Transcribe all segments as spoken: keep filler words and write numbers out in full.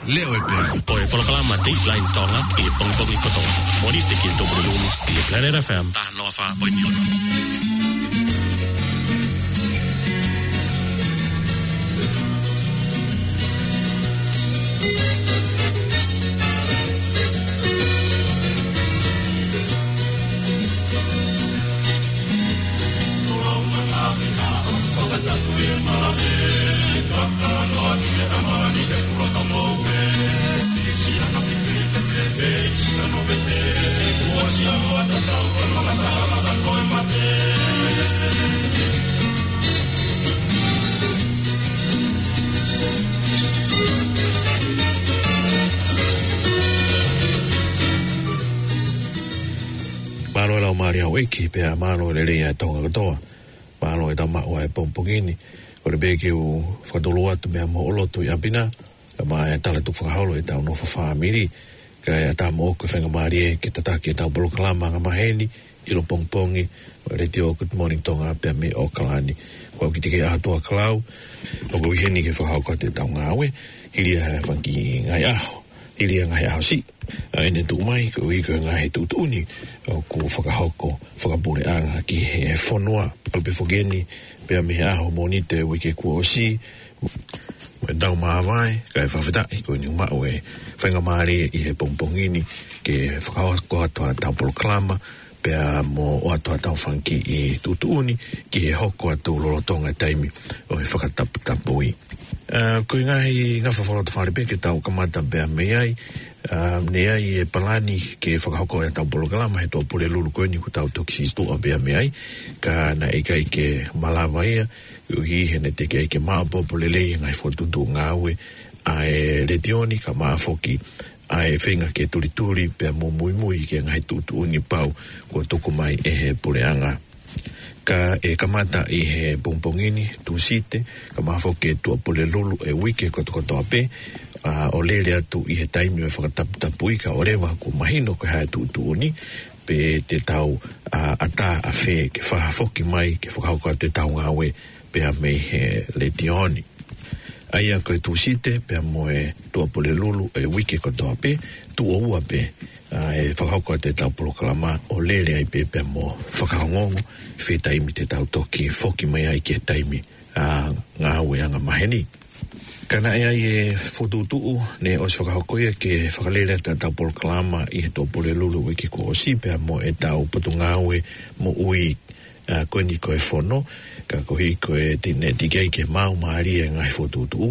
Leo e pea. Ko e polokalama Dateline Tonga ʻi he pongipongi kotoa. Mōnite ki he Tupulelulu ʻi he Planet F M taha noa fā poini ono. Mālō e laumālie ʻa houʻeiki, pea mālō e lelei ʻa e Tonga kotoa. Mālō e tau maʻu ʻa e pongipongi ni. Kole pē ke u fakatulou atu meia moutolu ʻi ʻapi na, kae ʻumaʻā e tala tukufakaholo ʻetau nofo fāmili. Kae ʻatā moʻoku e faingamālie ke tataki ʻetau polokalama angamaheni ʻi he pongipongi ʻi he letiō Good Morning Tonga pea mei ʻAokalani. Ko au Kitikei ʻAhatuakalau, ʻoku ou ʻi heni ke fakahoko atu ʻetau ngāue, hili ʻa e fanga kiʻi ngaahi ʻaho, hili ʻa e ngaahi ʻaho siʻi ʻa ʻene tuʻu mai, koeʻuhi ko e ngaahi tuʻutuʻuni ʻoku fakahoko fakapuleʻanga ki he fonua. Kole pē foki eni, pea mei he ʻaho Mōnite uike kuo ʻosi, mo ʻetau māvae, kae fakafetaʻi ko eni ʻoku maʻu e faingamālie ʻi he pongipongi ni ke fakahoko atu ʻetau polokalama, pea mo ʻoatu ʻetau fanga kiʻi tuʻutuʻuni ki he hoko atu lolotonga e taimi ʻo e fakataputapui. ʻA, ko e ngaahi ngafa fakalotofale pē ke tau kamata pea mei ai. ʻA, naʻe ʻi ai e palani ke fakahoko ʻetau polokalama he Tuʻapulelulu ko eni kuo tau toki sītuʻa pea mei ai, ka naʻe ʻikai ke malava ia, koeʻuhi he naʻe teʻeki ai ke maʻopoʻopo lelei e ngaahi fokotuʻutuʻu ngāue ʻa e letiō ni, kae ʻumaʻā foki ʻa e feinga ke tulituli pea mo muimui ki he ngaahi tuʻutuʻuni pau kuo tuku mai ʻe he puleʻanga. Ka ʻe kamata ʻi he pongipongi ni, Tūsite, kae ʻumaʻā foki e Tuʻapulelulu e uike kotokotoa pē, ʻa, ʻo lele atu ʻi he taimi ʻo e fakataputapui, kae ʻoua leva kuo mahino ko e hā e tuʻutuʻuni, pe te tau, ʻa, ʻatā ʻafē ke fakafoki mai, ke fakahoko atu ʻetau ngāue pea mei he letiō ni. ʻA ia ko e Tūsite pea mo e Tuʻapulelulu e uike kotoa pē, tuʻo ua pē, ʻa, ʻe fakahoko atu ʻetau polokalama ʻo lele ai pē pea mo fakaongoongo fē taimi te tau toki foki mai ai ki he taimi, ʻa, ngāue angamaheni. Ka naʻe ʻi ai e fokotuʻutuʻu naʻe ʻosi fakahoko ia ke fakalele atu ʻetau polokalama ʻi he Tuʻapulelulu uike kuo ʻosi pea mo ʻetau Potungāue Moʻui, ʻa, ko eni ko e fono, ka koeʻuhi ko e te-, naʻe teʻeki ai ke maau mālie e ngaahi fokotuʻutuʻu,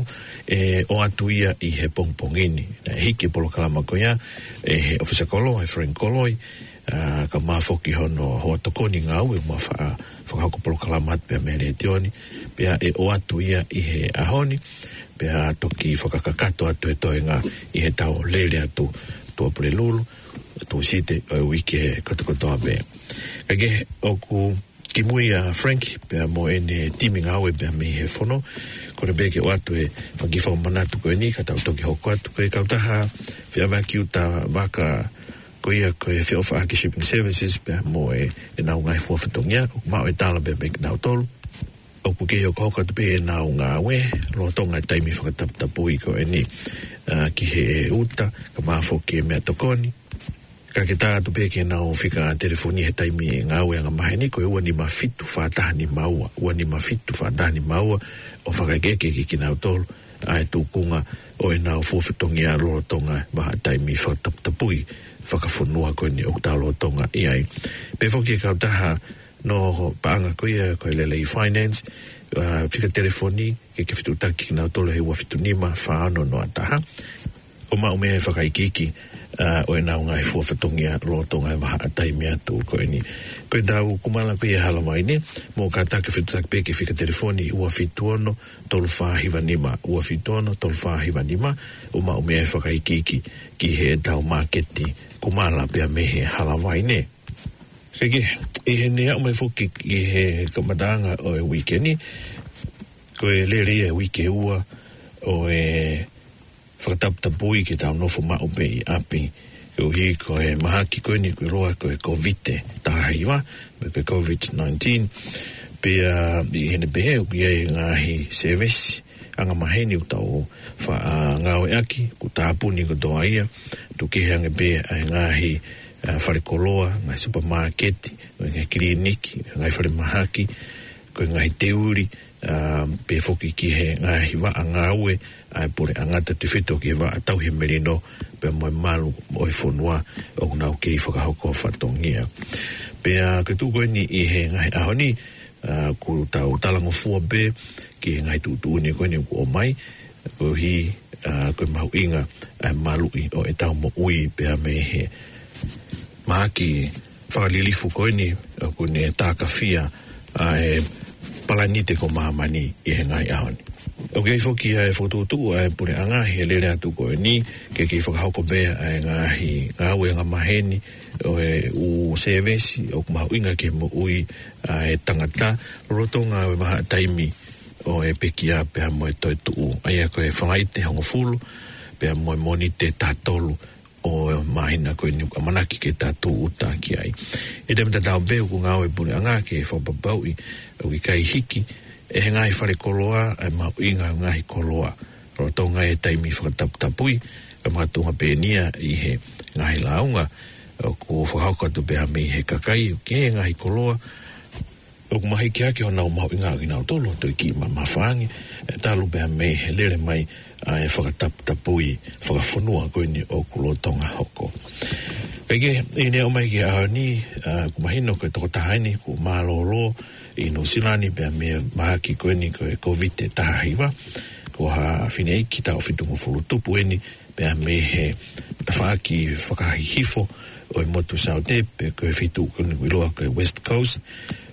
ʻe ʻoatu ia ʻi he pongipongi ni. Naʻe hiki e polokalama ko ia ʻe he ʻofisa kolo, ʻe Frank Koloi, ʻa, kae ʻumaʻā foki hono hoa tokoni ngāue ʻoku ma fa-, fakahoko polokalama atu pea mei he letiō ni, pea ʻe ʻoatu ia ʻi he ʻaho ni, pea toki fakakakato atu e toenga ʻi heʻetau lele atu Tuʻapulelulu, Tūsite ʻo e uike kotokotoa pē. Kae kehe, ʻoku kimui ʻa Frank pea mo ʻene timi ngāue pea mei he fono. Kole pē ke ʻoatu e fanga kiʻi fakamanatu ko eni ka tau toki hoko atu. Ko e kautaha feʻaveaki uta vaka ko ia ko e Feʻofaʻaki Shipping Services pea mo e, ʻenau ngaahi fua fatongia, ʻoku maʻu e tala pea mei kinautolu ʻoku kei hokohoko atu pē ʻenau ngāue lolotonga e taimi fakataputapui ko eni, ʻa, ki he uta, kae ʻumaʻā foki e meʻatokoni. Ka ke tā atu pē ki heʻenau fika telefoni he taimi ngāue angamaheni, ko e ua nima fitu fā taha nima ua, ua nima fitu fā taha nima ua, ʻo fakaʻekeʻeke ki kinautolu ʻa e tūkunga ʻo ʻenau fua fatongia lolotonga e vahaʻa taimi fakataputapui fakafonua ko eni ʻoku tau lolotonga ʻi ai. Pehē foki e kautaha noho paʻanga ko ia ko e Lelei Finance, ʻa, fika telefoni ke ke fetuʻutaki kinautolu he ua fitu nima fā ono noa taha, ʻo maʻu meʻa e fakaikiiki, ʻa, ʻo ʻenau ngaahi fua fatongia lolotonga e vahaʻa taimi atu ko eni. Ko ʻetau kumala ko ia Halavai ni, mou kātaki fetuʻutaki pē ki he fika telefoni ua fitu ono tolu fā hiva nima, ua fitu ono tolu fā hiva nima, ʻo maʻu meʻa e fakaikiiki ki heʻetau māketi kumala pea mei he Halavai ni. Kae kehe, ʻi heʻene aʻu mai foki ki he kamataʻanga ʻo e uike ni, ko e lele ia e uike ua ʻo e fakataputapui ke tau nofo maʻu pē ʻi ʻapi, koeʻuhi ko e mahaki ko eni kuo ʻiloa ko e Kōviti taha hiva, pe ko e Covid nineteen. Pea ʻi heʻene pehē ʻoku ʻi ai e ngaahi sēvesi, angamaheni ʻoku tau fa-, ʻa, ngāueʻaki, ʻoku tāpuni kotoa ia, tuku kehe ange pē ʻa e ngaahi, ʻa, fale koloa, ngaahi supamāketi, ngaahi kiliniki, ngaahi falemahaki, ko e ngaahi teuli, ʻa, pehē foki ki he ngaahi vaʻa ngāue ʻa e puleʻanga, tautefito ki he vaʻa tauhi melino, pea mo e malu ʻo e fonua ʻoku nau kei fakahoko fatongia. Pea ko e tuʻu ko eni ʻi he ngaahi ʻaho ni, ʻa, ʻoku tau talangofua pē ki he ngaahi tuʻutuʻuni ko eni ʻoku ʻomai, koeʻuhi, ʻa, ko e mahuʻinga ʻa e maluʻi ʻo ʻetau moʻui pea mei he mahaki fakalilifu ko eni ʻoku ne tākafia ʻa e palani te ko māmani ʻi he ngaahi ʻaho ni. ʻOku ʻi ai foki ʻa e fokotuʻutuʻu ʻa e puleʻanga he lele atu ko eni ke kei fakahoko pē ʻa e ngaahi ngāue angamaheni ʻo e ʻū sēvesi ʻoku mahuʻinga ki he moʻui ʻa e tangata, lolotonga ʻo e vahaʻa taimi ʻo e pekia pea mo e toetuʻu, ʻa ia ko e Falaite hongofulu pea mo e Mōnite taha tolu ʻo e māhina ko eni ʻoku ʻamanaki ke tau tūʻuta ki ai. ʻI he taimi tatau pē ʻoku ngāue e puleʻanga ke fakapapauʻi ʻoku ʻikai hiki ʻe he ngaahi fale koloa ʻa e mahuʻinga ʻo e ngaahi koloa, lolotonga e taimi fakataputapui, ka makatuʻunga pē eni ia ʻi he ngaahi lāunga ʻoku fakahoko atu pē mei he kakai ki he ngaahi koloa ʻoku mahiki hake honau mahuʻinga ʻo kinautolu ʻo toe kiʻi mamafa ange, ʻe talu pē mei he lele mai ʻa e fakataputapui fakafonua ko eni ʻoku lolotonga hoko. Kae kehe, ʻi heʻene aʻu mai ki he ʻaho ni, ʻa, ʻoku mahino ko e tokotaha eni kuo mālōlō ʻi Nuʻusila ni pea mei he mahaki ko eni ko e Kōviti taha hiva, ko ha fineʻeiki taʻu fitungofulu tupu eni, pea mei he tafaʻaki fakahihifo ʻo e motu Saute, pe ko e feituʻu ko eni ʻoku ʻiloa ko e West Coast,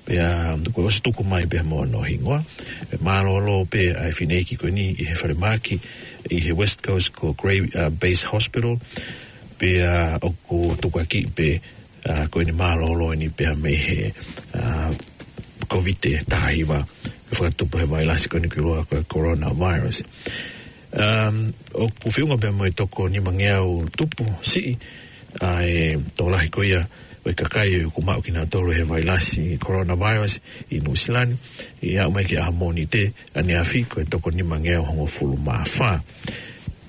pea ko e ʻosi tuku mai pē mo hono hingoa. Pea mālōlō pē ʻa e fineʻeiki ko eni ʻi he falemahaki ʻi he West Coast ko Grey, ʻa, Base Hospital, pea ʻoku tukuakiʻi pē, ʻa, ko eni mālōlō eni pē mei he, ʻa, Kōviti taha hiva, ʻoku fakatupu he vailasi ko eni ʻoku ʻiloa ko e coronavirus. Um, ʻoku feʻunga pē mo e toko nimangeau tupu siʻi ʻa e tokolahi ko ia ʻo e kakai ʻoku maʻu kinautolu he vailasi coronavirus ʻi Nuʻusila ni, ʻi he aʻu mai ki he ʻaho Mōnite ʻaneafi ko e toko nimangeau hongofulu mā fā.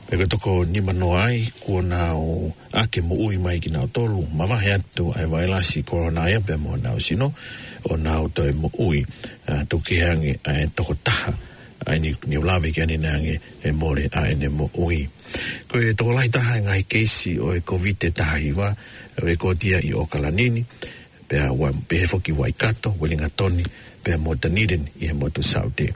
Pea ko e toko nimanoa ai kuo nau ʻake moʻui mai kinautolu, mavahe atu ʻa e vailasi corona ia pea mo honau sino, ʻo nau toe moʻui, ʻa, tuku kehe ange ʻa e toko taha ʻa eni ʻoku ne lave ki ai ʻanenai ange ʻe mole ʻa ʻene moʻui. Ko e tokolahi taha e ngaahi keisi ʻo e Kōviti taha hiva, ʻe lekooti ia ʻi ʻOkalani ni, pea ua, pehē foki Waikato, Uelingatoni, pea mo Dunedin ʻi he motu Saute.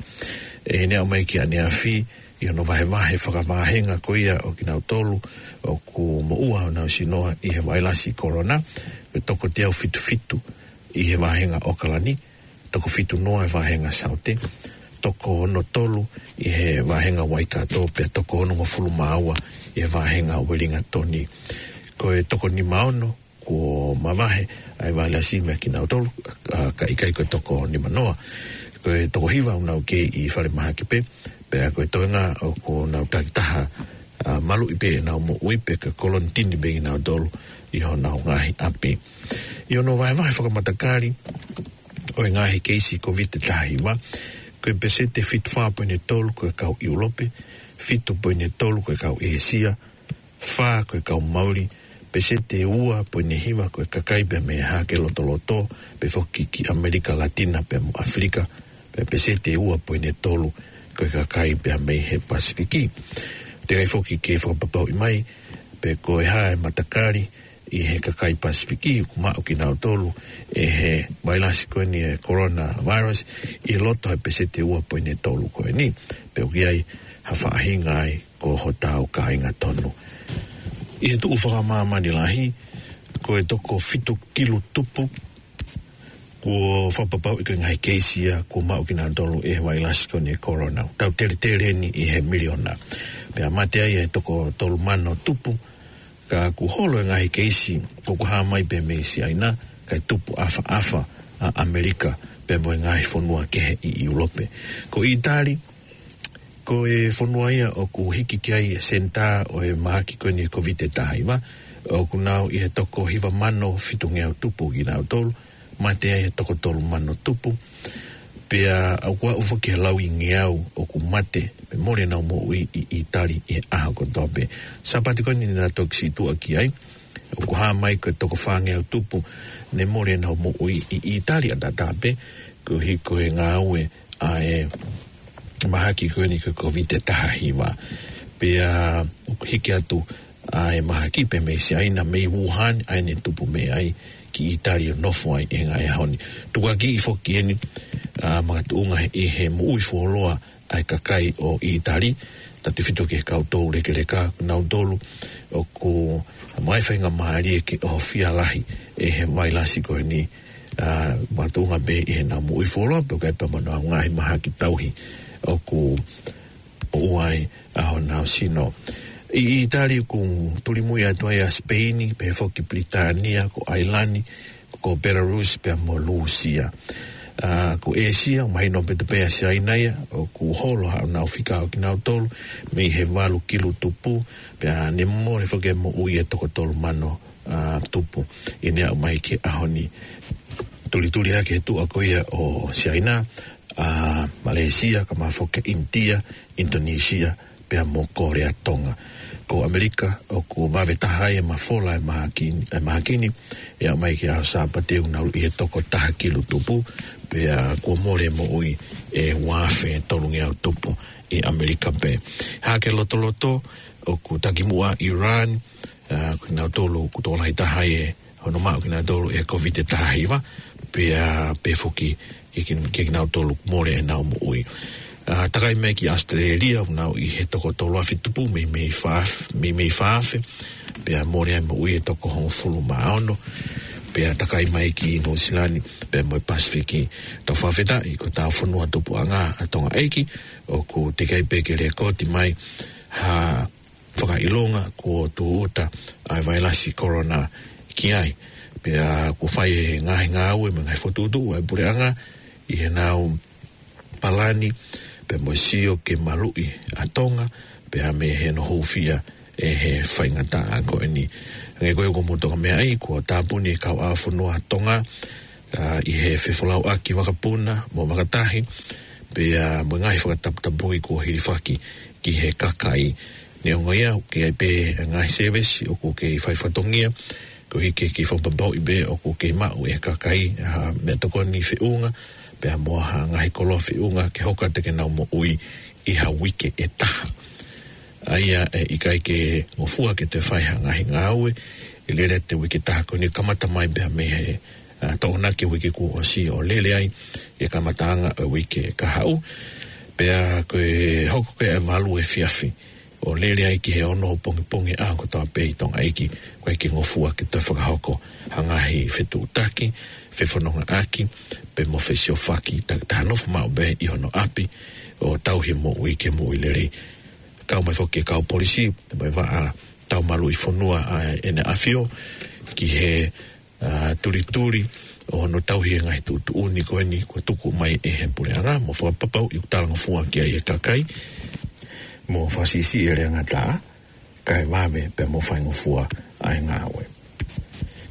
ʻI heʻene aʻu mai ki ʻaneafi, ʻi hono vahevahe fakavāhenga ko ia ʻo kinautolu ʻoku moʻua honau sino ʻi he vailasi corona, ʻe toko teau fitu fitu ʻi he vāhenga ʻOkalani, toko fitu noa he vāhenga Saute, toko ono tolu ʻi he vāhenga Waikato, pea toko onongofulu mā ua ʻi he vāhenga Uelingatoni. Ko e toko nima ono kuo mavahe ʻa e vailasi meiate kinautolu, ʻa, ka ʻikai ko e toko nimanoa. Ko e toko hiva ʻoku nau kei ʻi falemahaki pē, pea ko e toenga ʻoku nau takitaha, ʻa, maluʻi pē ʻenau moʻui pea ko e kolonitini pē kinautolu ʻi honau ngaahi ʻapi. ʻI hono vahevahe fakamatakali ʻo e ngaahi keisi Kōviti taha hiva, ko e peseti fitu fā poini tolu ko e kau ʻIulope, fitu poini tolu ko e kau ʻĒsia, fā ko e kau Mauli, peseti ua poini hiva ko e kakai pē mei he Hahake Lotoloto, pehē foki ki ʻAmelika Latina pea mo ʻAfilika, pea peseti ua poini tolu ko e kakai pē mei he Pasifiki. Teʻeki ai foki ke fakapapauʻi mai pe ko e hā e matakali ʻi he kakai Pasifiki ʻoku maʻu kinautolu ʻe he vailasi ko eni e coronavirus ʻi loto he peseti ua poini tolu ko eni. Pe ʻoku ʻi ai ha faʻahinga ai ko hotau kāinga tonu. ʻI he tuʻu fakamāmani lahi, ko e toko fitu kilu tupu kuo fakapapauʻi ko e ngaahi keisi ia kuo maʻu kinautolu ʻe he vailasi ko eni e corona. Tau teletele eni ʻi he miliona. Pea mate ai e toko tolu mano tupu, ka kuo holo e ngaahi keisi ʻoku hā mai pē mei Siaina, kae tupu ʻafaʻafa ʻa ʻAmelika pea mo e ngaahi fonua kehe ʻi ʻIulope. Ko ʻĪtali, ko e fonua ia ʻoku hiki ki ai e senitā ʻo e mahaki ko eni e Kōviti taha hiva, ʻoku nau ʻi he toko hiva mano fitungeau tupu kinautolu, mate ai e toko tolu mano tupu. Pea ʻoku aʻu foki ki he lauingeau ʻoku mate pe mole ʻenau moʻui ʻi ʻItali ʻi he ʻaho kotoa pē. Sāpate ko eni naʻa tau toki situʻa ki ai, ʻoku hā mai ko e toko fāngeau tupu ne mole ʻenau moʻui ʻi ʻItali ʻataʻatā pē, koeʻuhi ko e ngāue ʻa e mahaki ko eni ko e Kōviti taha hiva. Pea ʻoku hiki atu ʻa e mahaki pē mei Siaina, mei Wuhan, ʻa ē ne tupu mei ai ki ʻItali ʻo nofo ai ʻi he ngaahi ʻaho ni. Tukuakiʻi foki eni ʻa e makatuʻunga ʻi he moʻui fuoloa ʻa e kakai ʻo ʻItali, tautefito ki he kau toulekeleka, ko kinautolu ʻoku maʻu ai e faingamālie ke ʻohofia lahi ʻe he vailasi ko eni, ʻa, makatuʻunga pē ʻi heʻenau moʻui fuoloa, pea ʻoku ʻi ai pē mo ʻenau ngaahi mahaki tauhi ʻoku ʻoʻou ai ʻa honau sino. ʻI ʻItali ʻoku tulimui atu ai ʻa Sipeini, pehē foki Pilitānia, ko ʻAilani, ko Belarus pea mo Lūsia. ʻA, ko ʻĒsia, mahino pē te pea Siaina ia, ʻoku holo haʻanau fika ʻo kinautolu, mei he valu kilu tupu, pea ne mole foki e moʻui ʻa e toko tolu mano, ʻa, tupu ʻi he aʻu mai ki he ʻaho ni. Tulituli hake he tuʻa ko ia ʻo Siaina, ʻa, Malēsia, kae ʻumaʻā foki ʻInitia, ʻInitonisia, pea mo Kōlea Tonga. Ko ʻAmelika, ʻoku vave taha ai e mafola e mahaki, e mahaki ni, ʻi he aʻu mai ki he ʻaho Sāpate ʻoku nau ʻi he toko taha kilu tupu, pea kuo mole moʻui ʻe ua afe tolungeau tupu ʻi ʻAmelika pē. Hake lotoloto, ʻoku takimuʻa Iran, ʻa, ko kinautolu ʻoku tokolahi taha ai e hono maʻu kinautolu e Kōviti taha hiva, pea pehē foki ki, ki, ki kinautolu mole ʻenau moʻui. ʻA, takai mai ki ʻAositelēlia, ʻoku nau ʻi he toko tolu afe tupu mei, mei fā afe, mei, mei fā afe, pea mole ai moʻui e toko hongofulu mā ono, pea takai mai ki Nuʻusila ni, pea mo e Pasifiki. Tau fakafetaʻi ko ʻetau fonua tupuʻanga ʻa Tonga ʻEiki, ʻoku teʻeki ai pē ke lēkooti mai ha fakaʻilonga kuo tūʻuta ʻa e vailasi Corona ki ai. Pea kuo fai e ngaahi ngāue mo e ngaahi fokotuʻutuʻu ʻa e puleʻanga ʻi heʻenau palani, pea mo e sio ke maluʻi ʻa Tonga, pea mei hono hūfia ʻe he faingataʻa ko eni. Hangē ko ia ʻoku mou toki meaʻi, kuo tāpuni e kauʻāfonua Tonga, ʻa, ʻi he fefolauʻaki vakapuna mo vakatahi, pea mo e ngaahi fakataputapui kuo hilifaki ki he kakai. Neongo ia, ʻoku ʻi ai pē ngaahi sēvesi ʻoku kei fai fatongia, koeʻuhi ke, ke fakapapauʻi pē ʻoku kei maʻu e kakai ha meʻatokoni feʻunga, pea mo ha ngaahi koloa feʻunga ke hoko atu ke nau moʻui ʻi ha uike ʻe taha. ʻA ia ʻe ʻikai ke ngofua ke toe fai ha ngaahi ngāue, ʻe lele atu e uike ʻe taha ko eni kamata mai pea mei he, ʻa, Tokonaki uike kuo ʻosi ʻo lele ai e kamataʻanga ʻo e uike kahaʻu. Pea ko e hoko ko ē ʻa e valu efiafi ʻo lele ai ki he ono pongipongi ʻaho kotoa pē ʻi Tonga ʻEiki, ʻoku ʻikai ke ngofua ke toe fakahoko ha ngaahi fetuʻutaki, fefonongaʻaki, pe mo fesiofaki, takitaha nofo maʻu pē ʻi hono ʻapi ʻo tauhi moʻui ke moʻui lelei. Kau mai foki e kau polisi, mo e vaʻa tau maluʻi fonua ʻa ʻEne ʻAfio, ki he, ʻa, tulituli ʻo hono tauhi e ngaahi tuʻutuʻuni ko eni kuo tuku mai ʻe he puleʻanga, mo fakapapauʻi ʻoku talangofua ki ai e kakai, mo fakasiʻisiʻi e leangataʻa, kae vave pea mo faingofua ʻa e ngāue.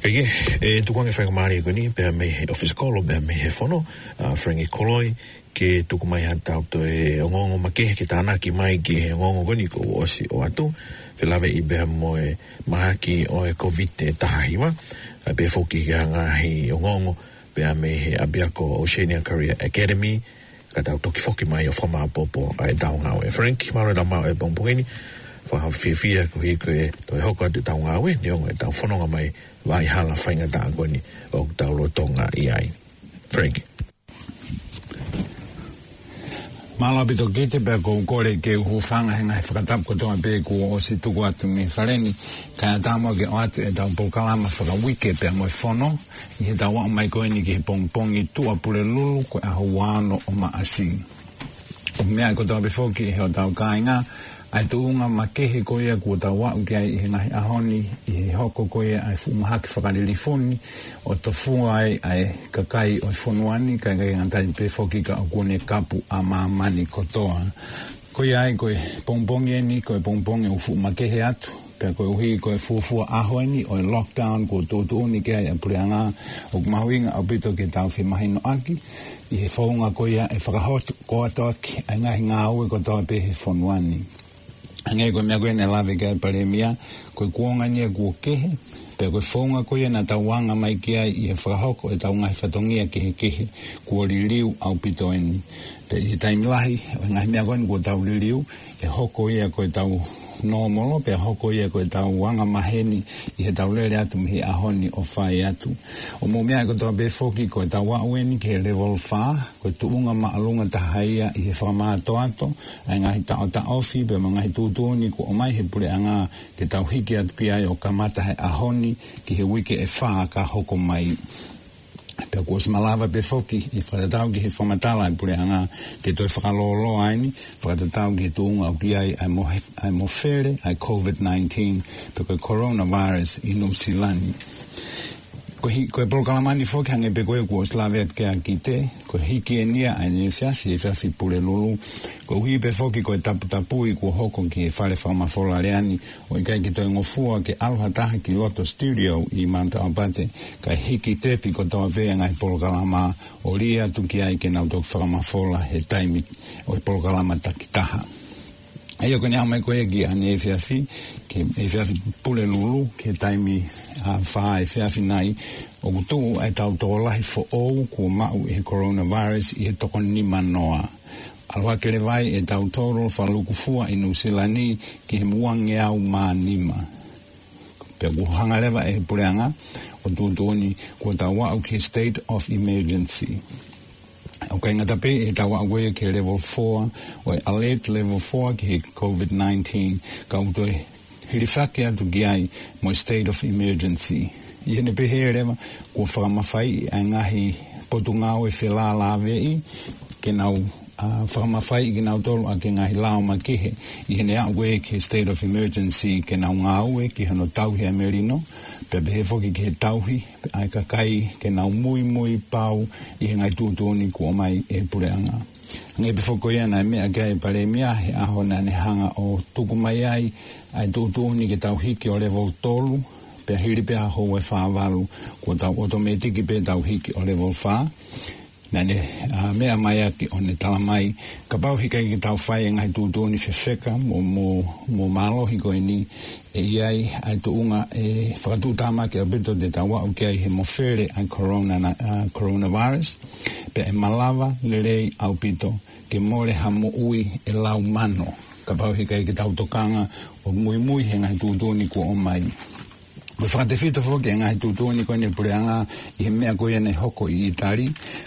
Kae kehe, ʻe tuku ange e faingamālie ko eni, pea mei he ʻofisi kolo, pea mei he fono, ʻa, Frankie Koloi, ke tuku mai haʻatau toe ongoongo makehe ke tānaki mai ki he ongoongo ko eni kuo ʻosi ʻoatu, felāveʻi pea mo e mahaki ʻo e Kōviti taha hiva, ʻa, pea foki ki he ngaahi ongoongo, pea mei he ʻapiako Oceania Career Academy, ka tau toki foki mai ʻo fakamāʻopoʻopo ʻa ʻetau ngāue. Frank, mālō e tau maʻu e pongipongi ni, fakafiefia koeʻuhi ko e toe hoko atu ʻetau ngāue, neongo ʻetau fononga mai vaʻa hala faingataʻa ko eni ʻoku tau lolotonga ʻi ai. Frank. Mālō ʻaupito Kite, pea ʻoku ou kole ke u hūfanga he ngaahi fakatapu kotoa pē kuo ʻosi tuku atu mei fale ni, kae ʻatā muʻa ke ʻoatu ʻetau polokalama fakauike pea mo e fono, ʻi heʻetau aʻu mai ko eni ki he pongipongi Tuʻapulelulu, ko e ʻaho ua ono ʻo Maʻasi. ʻOku meaʻi kotoa pē foki ʻe hotau kāinga ʻa e tuʻunga makehe ko ia kuo tau aʻu ki ai ʻi he ngaahi ʻaho ni, ʻi he hoko ko ia ʻa e fuʻu mahaki fakalilifu ni, ʻo tofua ai ʻa e kakai ʻo e fonua ni, kae ʻikai ngata ai pē foki ka ʻoku ne kapu ʻa māmani kotoa. Ko ia ai ko e pongipongi eni, ko e pongipongi ʻoku fuʻu makehe atu, Pea koeʻuhi ko e fuofua ʻaho eni ʻo e lockdown kuo tuʻutuʻuni ki ai ʻa e puleʻanga, ʻoku mahuʻinga ʻaupito ke tau femahinoʻaki ʻi he founga ko ia ʻe fakahokoatoʻaki ʻa e ngaahi ngāue kotoa pē he fonua ni. Hangē ko e meʻa ko ē naʻe lave ki ai ʻa e Palēmia, ko e kuonga ni ia kuo kehe, pea ko e founga ko ia naʻa tau anga mai ki ai ʻi he fakahoko ʻetau ngaahi fatongia kehekehe, kuo liliu ʻaupito eni. Pea ʻi he taimi lahi, ʻo e ngaahi meʻa ko eni kuo tau liliu, ʻe hoko ia ko ʻetau nōmolo, pea hoko ia ko ʻetau anga maheni ʻi heʻetau lele atu mei he ʻaho ni ʻo fai atu. ʻO mou meaʻi kotoa pē foki ko ʻetau aʻu eni ki he level fā, ko e tuʻunga māʻolunga taha ia ʻi he fakamātoato ʻa e ngaahi taʻotaʻofi pea mo e ngaahi tuʻutuʻuni kuo ʻomai he puleʻanga ke tau hiki atu ki ai ʻo kamata he ʻaho ni ki he uike ʻe fā ka hoko mai. Pea kuo ʻosi malava pē foki ʻi he fakatatau ki he fakamatala ʻa e puleʻanga ke toe fakalōloa eni, fakatatau ki he tuʻunga ʻoku ʻi ai ʻa e mo-, ʻa e mofele ʻa e COVID nineteen, pe ko e coronavirus ʻi Nuʻusila ni. Ko e hi-, ko e polokalama ni foki hangē pē ko ia kuo ʻosi lave atu ki ai ʻa Kite, ko e hiki eni ia ʻa e efiafi, efiafi Pulelulu. Koeʻuhi pē foki ko e taputapui kuo hoko ki he fale fakamafola lea ni, ʻo ʻikai ke toe ngofua ke ʻalu ha taha ki loto studio ʻi Mount Aupate, kae hiki tepi kotoa pē ʻa e ngaahi polokalama ʻo lī atu ki ai ke nau toki fakamafola he taimi ʻo e polokalama takitaha. ʻA ia ko ʻene aʻu mai ko ia ki ʻaneefiafi, ki he efiafi Pulelulu, ki he taimi, ʻa, fā efiafi nai, ʻoku tuʻu ʻa e tau tokolahi foʻou kuo maʻu ʻe he coronavirus ʻi he toko nima noa. ʻAlu hake leva ai ʻetau total fakalukufua ʻi Nuʻusila ni ki he uangeau mā nima. Pea kuo hanga leva ʻe he puleʻanga ʻo tuʻutuʻuni kuo tau aʻu ki he state of emergency. ʻOku ʻikai ngata pē ʻetau aʻu ko ia ki he level four, ʻo e alert level four ki he COVID nineteen, ka ʻoku toe hilifaki atu ki ai mo e state of emergency. ʻI heʻene pehē leva, kuo fakamafaiʻi ʻa e ngaahi potungāue felālāveʻi ke nau, ʻa, fakamafaiʻi kinautolu ʻaki e ngaahi lao makehe ʻi heʻene aʻu ko ia ki he state of emergency ke nau ngāue ki hono tauhi ʻa e melino, pea pehē foki ki he tauhi ʻa e kakai ke nau muimui pau ʻi he ngaahi tuʻutuʻuni kuo ʻomai ʻe he puleʻanga. Hangē pē foki ko ia naʻe meʻa ki ai ʻa e Palēmia he ʻaho naʻa ne hanga ʻo tuku mai ai ʻa e tuʻutuʻuni ke tau hiki ʻo level tolu, pea hili pē ʻa e houa ʻe fā valu, kuo tau automatic pē tau hiki ʻo level fā. Naʻa ne, ʻa, meʻa mai ʻaki ʻo ne tala mai, kapau he ʻikai ke tau fai e ngaahi tuʻutuʻuni fefeka mo, mo, mo mālohi ko eni, ʻe ʻi ai ʻa e tuʻunga ʻe fakatuʻutāmaki ʻaupito te tau aʻu ki ai he mofele ʻa e corona na, ʻa, coronavirus, pea ʻe malava lelei ʻaupito ke mole ha moʻui ʻe lau mano, kapau he ʻikai ke tau tokanga ʻo muimui he ngaahi tuʻutuʻuni kuo ʻomai. Ko e fakatefito foki e ngaahi tuʻutuʻuni ko eni ʻa e puleʻanga ʻi he meʻa ko ia naʻe hoko ʻi ʻItali,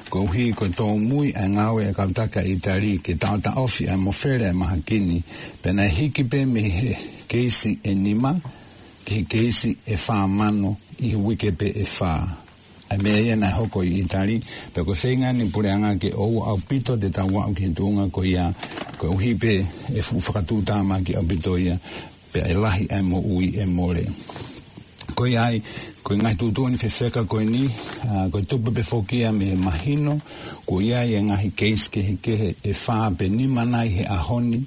koeʻuhi ko e tōmui ʻa e ngāue ʻa e kau taki ʻa ʻItali ke taʻotaʻofi ʻa e mofele ʻa e mahaki ni, pea naʻe hiki pē mei he keisi ʻe nima ki he keisi ʻe fā mano ʻi he uike pē ʻe fā. ʻA e meʻa ia naʻe hoko ʻi ʻItali, pea ko e feinga eni ʻa e puleʻanga ke ʻoua ʻaupito te tau aʻu ki he tuʻunga ko ia, koeʻuhi pē ʻe fuʻu fakatuʻutāmaki ʻaupito ia, pea ʻe lahi ʻa e moʻui ʻe mole. Ko ia ai, ko e ngaahi tuʻutuʻuni fefeka ko eni, ʻa, ko e tupu pē foki ia mei he mahino kuo ʻi ai e ngaahi keisi kehekehe ʻe fā pe nima nai he ʻaho ni,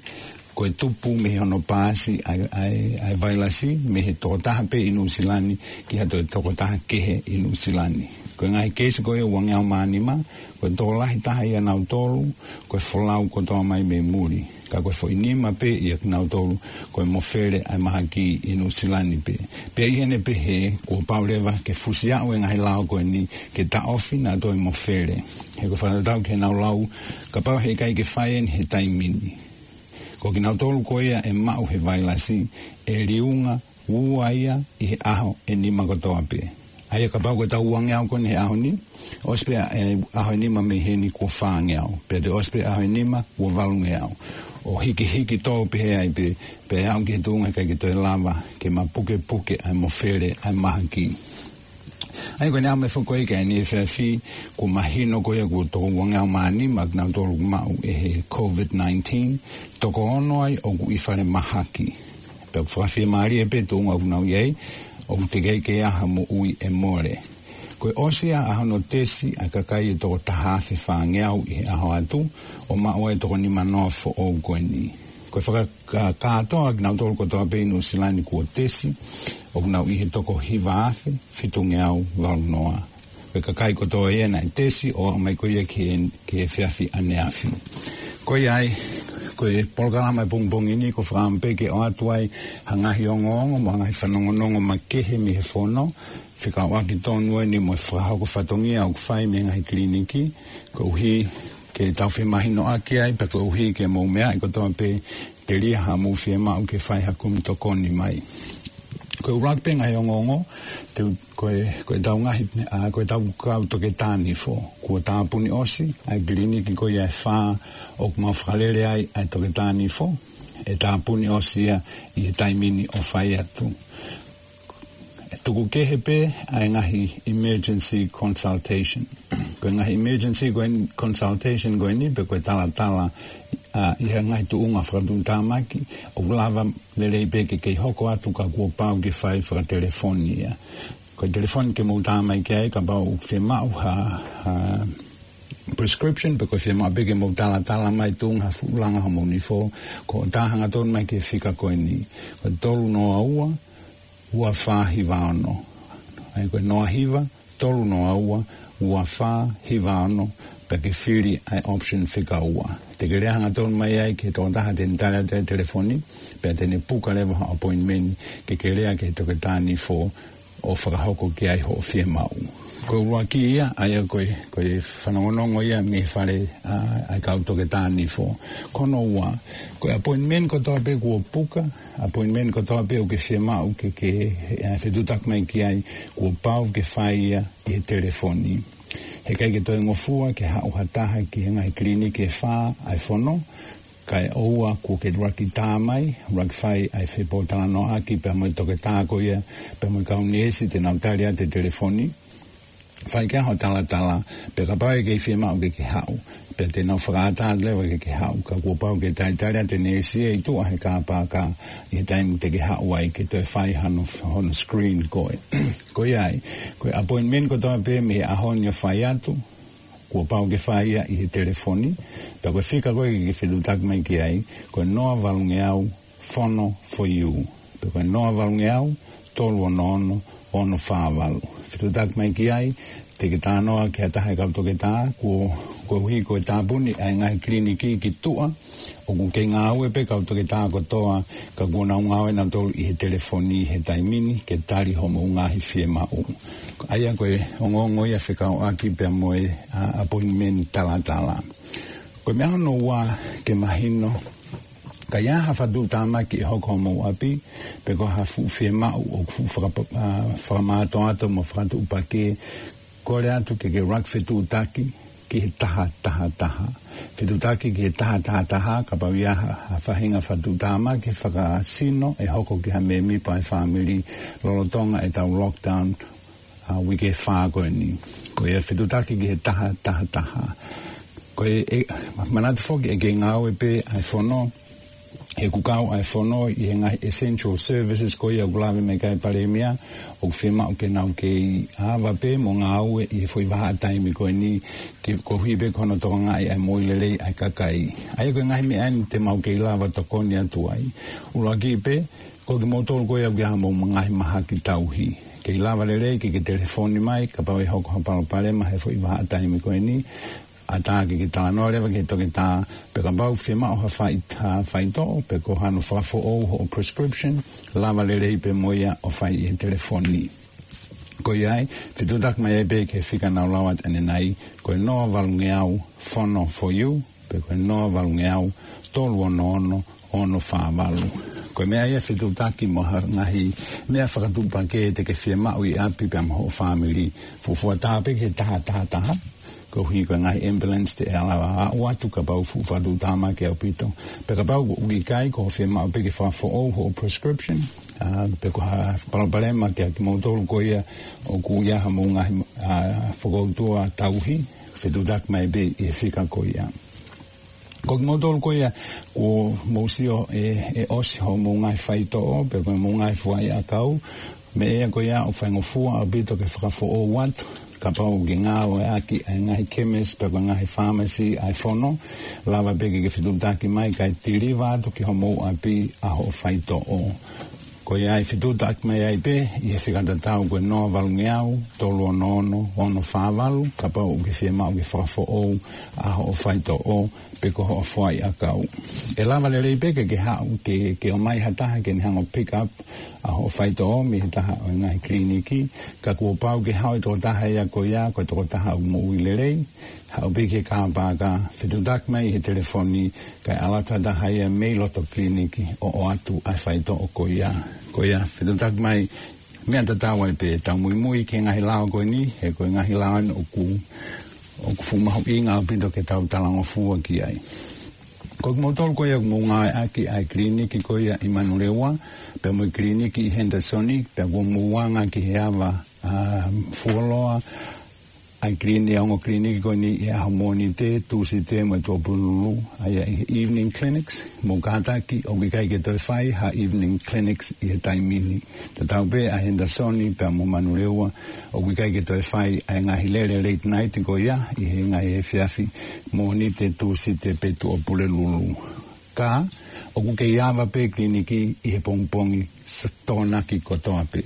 ko e tupu mei hono paasi ʻa e, ʻa e, ʻa e vailasi mei he tokotaha pē ʻi Nuʻusila ni ki ha toe tokotaha kehe ʻi Nuʻusila ni. Ko e ngaahi keisi ko ia ʻe uangeau mā nima, ko e tokolahi taha ia ʻia nautolu ko e folau kotoa mai mei muli. Ka ko e foʻi nima pē ia ʻia kinautolu ko e mofele ʻa e mahaki ʻi Nuʻusila ni pē. Pea ʻi heʻene pehē, kuo pau leva ke fusi aʻu e ngaahi lao ko eni ke taʻofi naʻa toe mofele. He ko e fakatatau ki heʻenau lau, kapau he ʻikai ke fai eni he taimi ni, ko kinautolu ko ia ʻe maʻu he vailasi, ʻe liunga ua ia ʻi he ʻaho ʻe nima kotoa pē. ʻA ia kapau ko ʻetau uangeau ko eni he ʻaho ni, ʻosi pē ʻa e ʻaho ʻe nima mei heni kuo fāngeau. Pea toe ʻosi pē ʻaho ʻe nima kuo valungeau. ʻO hikihiki tō pehē ai pē, pea aʻu ki he tuʻunga ʻikai ke toe lava ke mapukepuke ʻa e mofele ʻa e mahaki. ʻA ia ko ʻene aʻu mai foki ko ia ki ʻaneefiafi, kuo mahino ko ia kuo toko uangeau mā nima ʻa kinautolu ʻoku maʻu ʻe he COVID nineteen, toko ono ai ʻoku ʻi falemahaki. Pea ʻoku fakafiemālie pē tuʻunga ʻoku nau ʻi ai, ʻoku teʻeki ai ke ʻi ai ha moʻui ʻe mole. Ko e ʻosi ia ʻa hono tesi ʻa e kakai ʻe toko taha afe fāngeau ʻi he ʻaho atu, ʻo maʻu ai e toko nima noa foʻou ko eni. Ko e fakakātoa kinautolu kotoa pē ʻi Nuʻusila ni kuo tesi, ʻoku nau ʻi he toko hiva afe fitungeau valu noa. Ko e kakai kotoa ia naʻe tesi ʻo aʻu mai ko ia ki he, ki he efiafi ʻaneafi. Ko ia ai, ko e polokalama e pongipongi ni, ko e fakaʻamu pē ke ʻoatu ai ha ngaahi ongoongo, mo ha ngaahi fanongonongo makehe mei he fono, fekauʻaki tonu eni mo e fakahoko fatongia ʻoku fai mei he ngaahi kiliniki, koeʻuhi ke tau femahinoʻaki ai, pea koeʻuhi ke mou meaʻi kotoa pē telia haʻamou fiemaʻu ke fai ha kumi tokoni mai. Ko e ʻuluaki pē ngaahi ongoongo, te u, ko e, ko e tau ngaahi, ʻa, ko e tau kau toketā nifo. Kuo tāpuni ʻosi ʻa e kiliniki ko ia ʻe fā ʻoku mau fakalele ai ʻa e toketā nifo. ʻE tāpuni ʻosi ia ʻi he taimi ni ʻo fai atu. ʻE tuku kehe pē ʻa e ngaahi emergency consultation. Ko e ngaahi emergency ko eni, consultation ko eni, pe ko e talatala, ʻa, ʻi he ngaahi tuʻunga fakatuʻutāmaki, ʻoku lava lelei pē ke kei hoko atu ka kuo pau ke fai fakatelefoni ia. Ko e telefoni ke mou tā mai ki ai kapau ʻoku fiemaʻu ha, ha prescription, pe ko e fiemaʻu pē ke mou talatala mai tuʻunga ha fuʻu langa homou nifo, ko e tā hangatonu mai ki he fika ko eni. Ko e tolu noa ua, ua fā hiva ono. ʻA ia ko e noa hiva, tolu noa ua, ua fā hiva ono, pea ke fili ʻa e option fika ua. Te ke lea hangatonu mai ai ki he tokotaha te ne tali atu e telefoni, pea te ne puka leva ha appointment ke ke lea ki he toketā nifo ʻo fakahoko ki ai hoʻo fiemaʻu. Ko e ʻuluaki ia, ʻa ia ko e, ko e fanongonongo ia mei he fale, ʻa, ʻa e kau toketā nifo. Ko hono ua, ko e appointment kotoa pē kuo puka, appointment kotoa pē ʻoku ke fiemaʻu ke, ke, ʻa, fetuʻutaki mai ki ai, kuo pau ke fai ia ʻi he telefoni. Heʻikai ke toe ngofua ke haʻu ha taha ki he ngaahi kiliniki ʻe fā ʻa e fono, kae ʻoua kuo ke ʻuluaki tā mai, ʻuluaki fai ʻa e fepōtalanoaʻaki pea mo e toketā ko ia, pea mo e kau neesi te nau tali atu e telefoni. Fai ke ʻaho talatala, pea kapau ʻe kei fiemaʻu ke ke haʻu, pea te nau fakaʻatā leva ke ke haʻu, ka kuo pau ke talitali atu e neesi ʻi tuʻa he kāpaka ʻi he taimi te ke haʻu ai ke toe fai hano, hono screen koe. Ko ia ai, ko e appointment kotoa pē mei he ʻaho ni ʻo fai atu, kuo pau ke fai ia ʻi he telefoni, pea ko e fika ko ē ke ke fetuʻutaki mai ki ai, ko e noa valungeau fono for you. Pea ko e noa valungeau, tolu ono ono, ono fā valu. Fetuʻutaki mai ki ai, te ke talanoa ki ha taha e kau toketā, kuo, koeʻuhi ko e tāpuni ʻa e ngaahi kiliniki ki tuʻa, ʻoku kei ngāue pē kau toketā kotoa, ka kuo nau ngāue nautolu ʻi he telefoni he taimi ni, ke tali hoʻomou ngaahi fiemaʻu. ʻA ia ko e ongoongo ia fekauʻaki pea mo e, ʻa, appointment talatala. Ko e meʻa hono ua ke mahino, ka ʻi ai ha fakatuʻutāmaki ʻe hoko homou ʻapi, pe ko ha fuʻu fiemaʻu ʻoku fuʻu fakapa-, ʻa, fakamātoato mo fakatuʻupakē, kole atu ke ke ʻuluaki fetuʻutaki ki he taha taha taha. Fetuʻutaki ki he taha taha taha, kapau ʻe ʻi ai ha, ha faʻahinga fakatuʻutāmaki fakasino ʻe hoko ki ha mēmipa ʻo e fāmili lolotonga ʻetau lockdown, ʻa, uike ʻe fā ko eni. Ko ia fetuʻutaki ki he taha taha taha. Ko e, ʻe, manatu foki ʻe kei ngāue pē ʻa e fono, he ʻoku kau ʻa e fono ʻi he ngaahi essential services ko ia ʻoku lave mai ki ai e Palēmia, ʻoku fiemaʻu ke nau kei ava pē mo ngāue ʻi he foʻi vahaʻa taimi ko eni, ke koeʻuhi pē ko hono tokangaʻi ʻa e moʻui lelei ʻa e kakai. ʻA ia ko e ngaahi meʻa eni te mau kei lava tokoni atu ai. ʻUluaki pē, ko kimoutolu ko ia ʻoku ʻi ai haʻamou ngaahi mahaki tauhi. Kei lava lelei ke ke telefoni mai, kapau ʻe hoko ha palopalema he foʻi vahaʻa taimi ko eni, ʻatā ke ke talanoa leva ki he toketā, pe kapau fiemaʻu ha fai-, ha faitoʻo, pe ko hano fakafoʻou hoʻo prescription, lava lelei pē mo ia ʻo fai ʻi he telefoni. Ko ia ai, fetuʻutaki mai ai pē ki he fika naʻa ku lau atu ʻanenai, ko e noa valungeau fono for you, pe ko e noa valungeau tolu ono ono, ono fā valu. Ko e meʻa ia fetuʻutaki mo ha ngaahi meʻa fakatuʻupakē te ke fiemaʻu ʻi ʻapi pea mo hoʻo fāmili. Fuofua tā pē ki he taha taha taha. Koeʻuhi ko e ngaahi ambulance te nau lava ʻo aʻu atu kapau fuʻu fakatuʻutāmaki ʻaupito. Pea kapau ʻoku ʻikai, ko hoʻo fiemaʻu pē ke fakafoʻou hoʻo prescription, ʻa, pe ko ha palopalema kia kimoutolu ko ia ʻoku ʻi ai haʻamou ngaahi, ʻa, fokoutua tauhi, fetuʻutaki mai pē ʻi he fika ko ia. Ko kimoutolu ko ia kuo mou sio ʻe, ʻe ʻosi hoʻomou ngaahi faitoʻo, pe ko hoʻomou ngaahi fuaʻiʻakau, meʻa ia ko ia ʻoku faingofua ʻaupito ke fakafoʻou atu, Kapau ʻoku ke ngāueʻaki ʻa e ngaahi kemisi pe ko e ngaahi fāmasi ʻa e fono, lava pē ke ke fetuʻutaki mai kae tiliva atu ki homou ʻapi ʻa hoʻo faitoʻo. Ko ia ai fetuʻutaki mai ai pē ʻi he fika tatau ko e noa valungeau, tolu ono ono, ono fā valu, kapau ʻoku ke fiemaʻu ke fakafoʻou ʻa hoʻo faitoʻo pe ko hoʻo foʻi ʻakau. ʻE lava lelei pē ke ke haʻu ke, ke ʻomai ha taha ke ne hanga ʻo pick up ʻa hoʻo faitoʻo mei he taha ʻo e ngaahi kiliniki, ka kuo pau ke haʻu e tokotaha ia ko ia, ko e tokotaha ʻoku moʻui lelei, haʻu pē ki he kāpaka, fetuʻutaki mai he telefoni, kae ʻalu atu ha taha ia mei loto kiliniki ʻo ʻoatu ʻa e faitoʻo ko ia. Ko ia, fetuʻutaki mai, meʻa tatau ai pē, tau muimui ki he ngaahi lao ko eni, he ko e ngaahi lao eni ʻoku, ʻoku fuʻu mahuʻinga ʻaupito ke tau talangofua ki ai. Ko kimoutolu ko ia ʻoku mou ngāueʻaki ʻa e kiliniki ko ia ʻi Manurewa, pea mo e kiliniki ʻi Henderson, pea kuo mou anga ki he ava, ʻa, fuoloa ʻa e kiliniki, ʻa e ongo kiliniki ko eni ʻi he ʻaho Mōnite, Tūsite mo e Tuʻapulelulu, ʻa ia ʻi he evening clinics, mou kātaki ʻoku ʻikai ke toe fai ha evening clinics ʻi he taimi ni. Tatau pē ʻa Henderson pea mo Manurewa, ʻoku ʻikai ke toe fai ʻa e ngaahi lele late night ko ia ʻi he ngaahi efiafi Mōnite, Tūsite pe Tuʻapulelulu. Ka, ʻoku kei ava pē kiliniki ʻi he pongipongi s-, Tokonaki kotoa pē.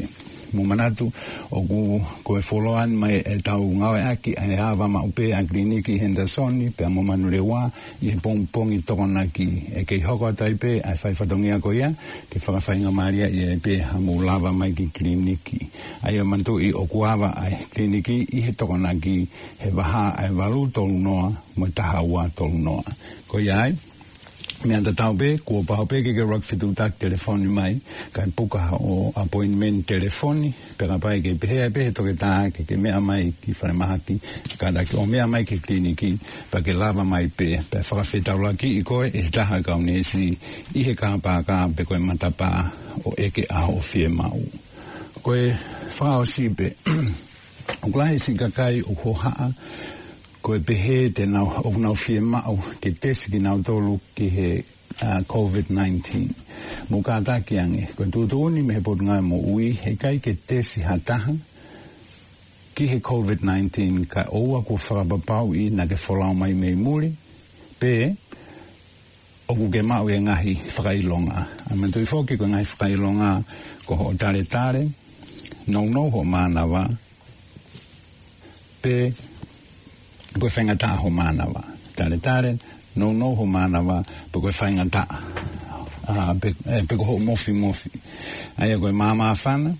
Mou manatu, ʻoku ko e fuoloa eni mai ʻetau ngāueʻaki ʻa e ava maʻu pē ʻa e kiliniki ʻi Henderson pea mo Manurewa ʻi he pongipongi Tokonaki. ʻE kei hoko atu ai pē ʻa e fai fatongia ko ia, ke fakafaingamālieʻi ai pē haʻamou lava mai ki kiliniki. ʻA ia manatuʻi ʻoku ava ʻa e kiliniki ʻi he Tokonaki he vahaʻa ʻa e valu tolu noa mo e taha ua tolu noa. Ko ia ai, meʻa tatau pē, kuo pau pē ke ke ʻuluaki fetuʻutaki telefoni mai, kae puka haʻo appointment telefoni, pea kapau ʻe kei pehē ai pē he toketā ke ke meʻa mai ki falemahaki, kātaki ʻo meʻa mai ki kiliniki, pea ke lava mai pē, pea fakafetaulaki ʻi koe ʻe he taha ʻo e kau neesi ʻi he kāpaka pe ko e matapā ʻo ʻeke ʻa hoʻo fiemaʻu. Ko e fakaʻosi pē, ʻoku lahi siʻi kakai ʻoku hohaʻa, ko e pehē te nau, ʻoku nau fiemaʻu ke tesi kinautolu ki he, ʻa, COVID nineteen. Mou kātaki ange, ko e tuʻutuʻuni mei he Potungāue Moʻui, heʻikai ke tesi ha taha ki he COVID nineteen kae ʻoua kuo fakapapauʻi naʻa ke folau mai mei muli, pe ʻoku ke maʻu e ngaahi fakaʻilonga. ʻA, manatuʻi foki ko e ngaahi fakaʻilonga ko hoʻo taletale, nounou hoʻo mānava, pe ko e faingataʻa hoʻo mānava. Taletale, nounou hoʻo mānava, pe ko e faingataʻa. ʻA, pe, ʻe, pe ko hoʻo mofimofi. ʻA ia ko e māmāfana,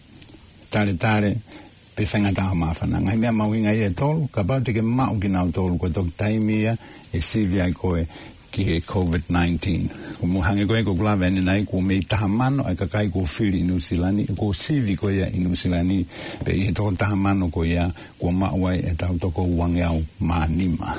taletale, pe faingataʻa hoʻo māfana. Ngaahi meʻa mahuʻinga ia ʻe tolu, kapau te ke maʻu kinautolu ko e toki taimi ia ʻe sivi ai koe ki he COVID nineteen. Ko mou hangē ko ē ko ʻeku lave ʻanenai, kuo mei taha mano ʻa e kakai kuo fili ʻi Nuʻusila ni, kuo sivi ko ia ʻi Nuʻusila ni, pea ʻi he toko taha mano ko ia, kuo maʻu ai ʻetau toko uangeau mā nima.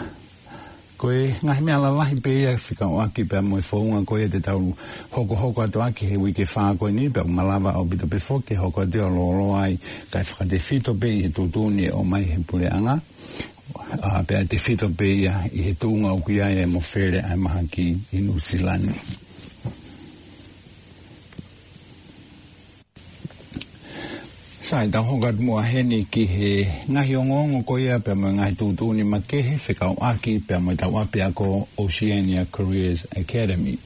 Ko e ngaahi meʻa lalahi pē ia fekauʻaki pea mo e founga ko ia te tau hokohoko atu ʻaki he uike fā ko eni, pea ʻoku malava ʻaupito pē foki ke hoko atu ʻo lōloa ai, kae fakatefito pē ʻi he tuʻutuʻuni ʻe ʻomai he puleʻanga. ʻA, pea tefito pē ia ʻi he tuʻunga ʻoku ʻi ai e mofele ʻa e mahaki ʻi Nuʻusila ni. Sai, tau hoko atu muʻa heni ki he ngaahi ongoongo ko ia pea mo e ngaahi tuʻutuʻuni makehe fekauʻaki pea mo ʻetau ʻapiako Oceania Careers Academy.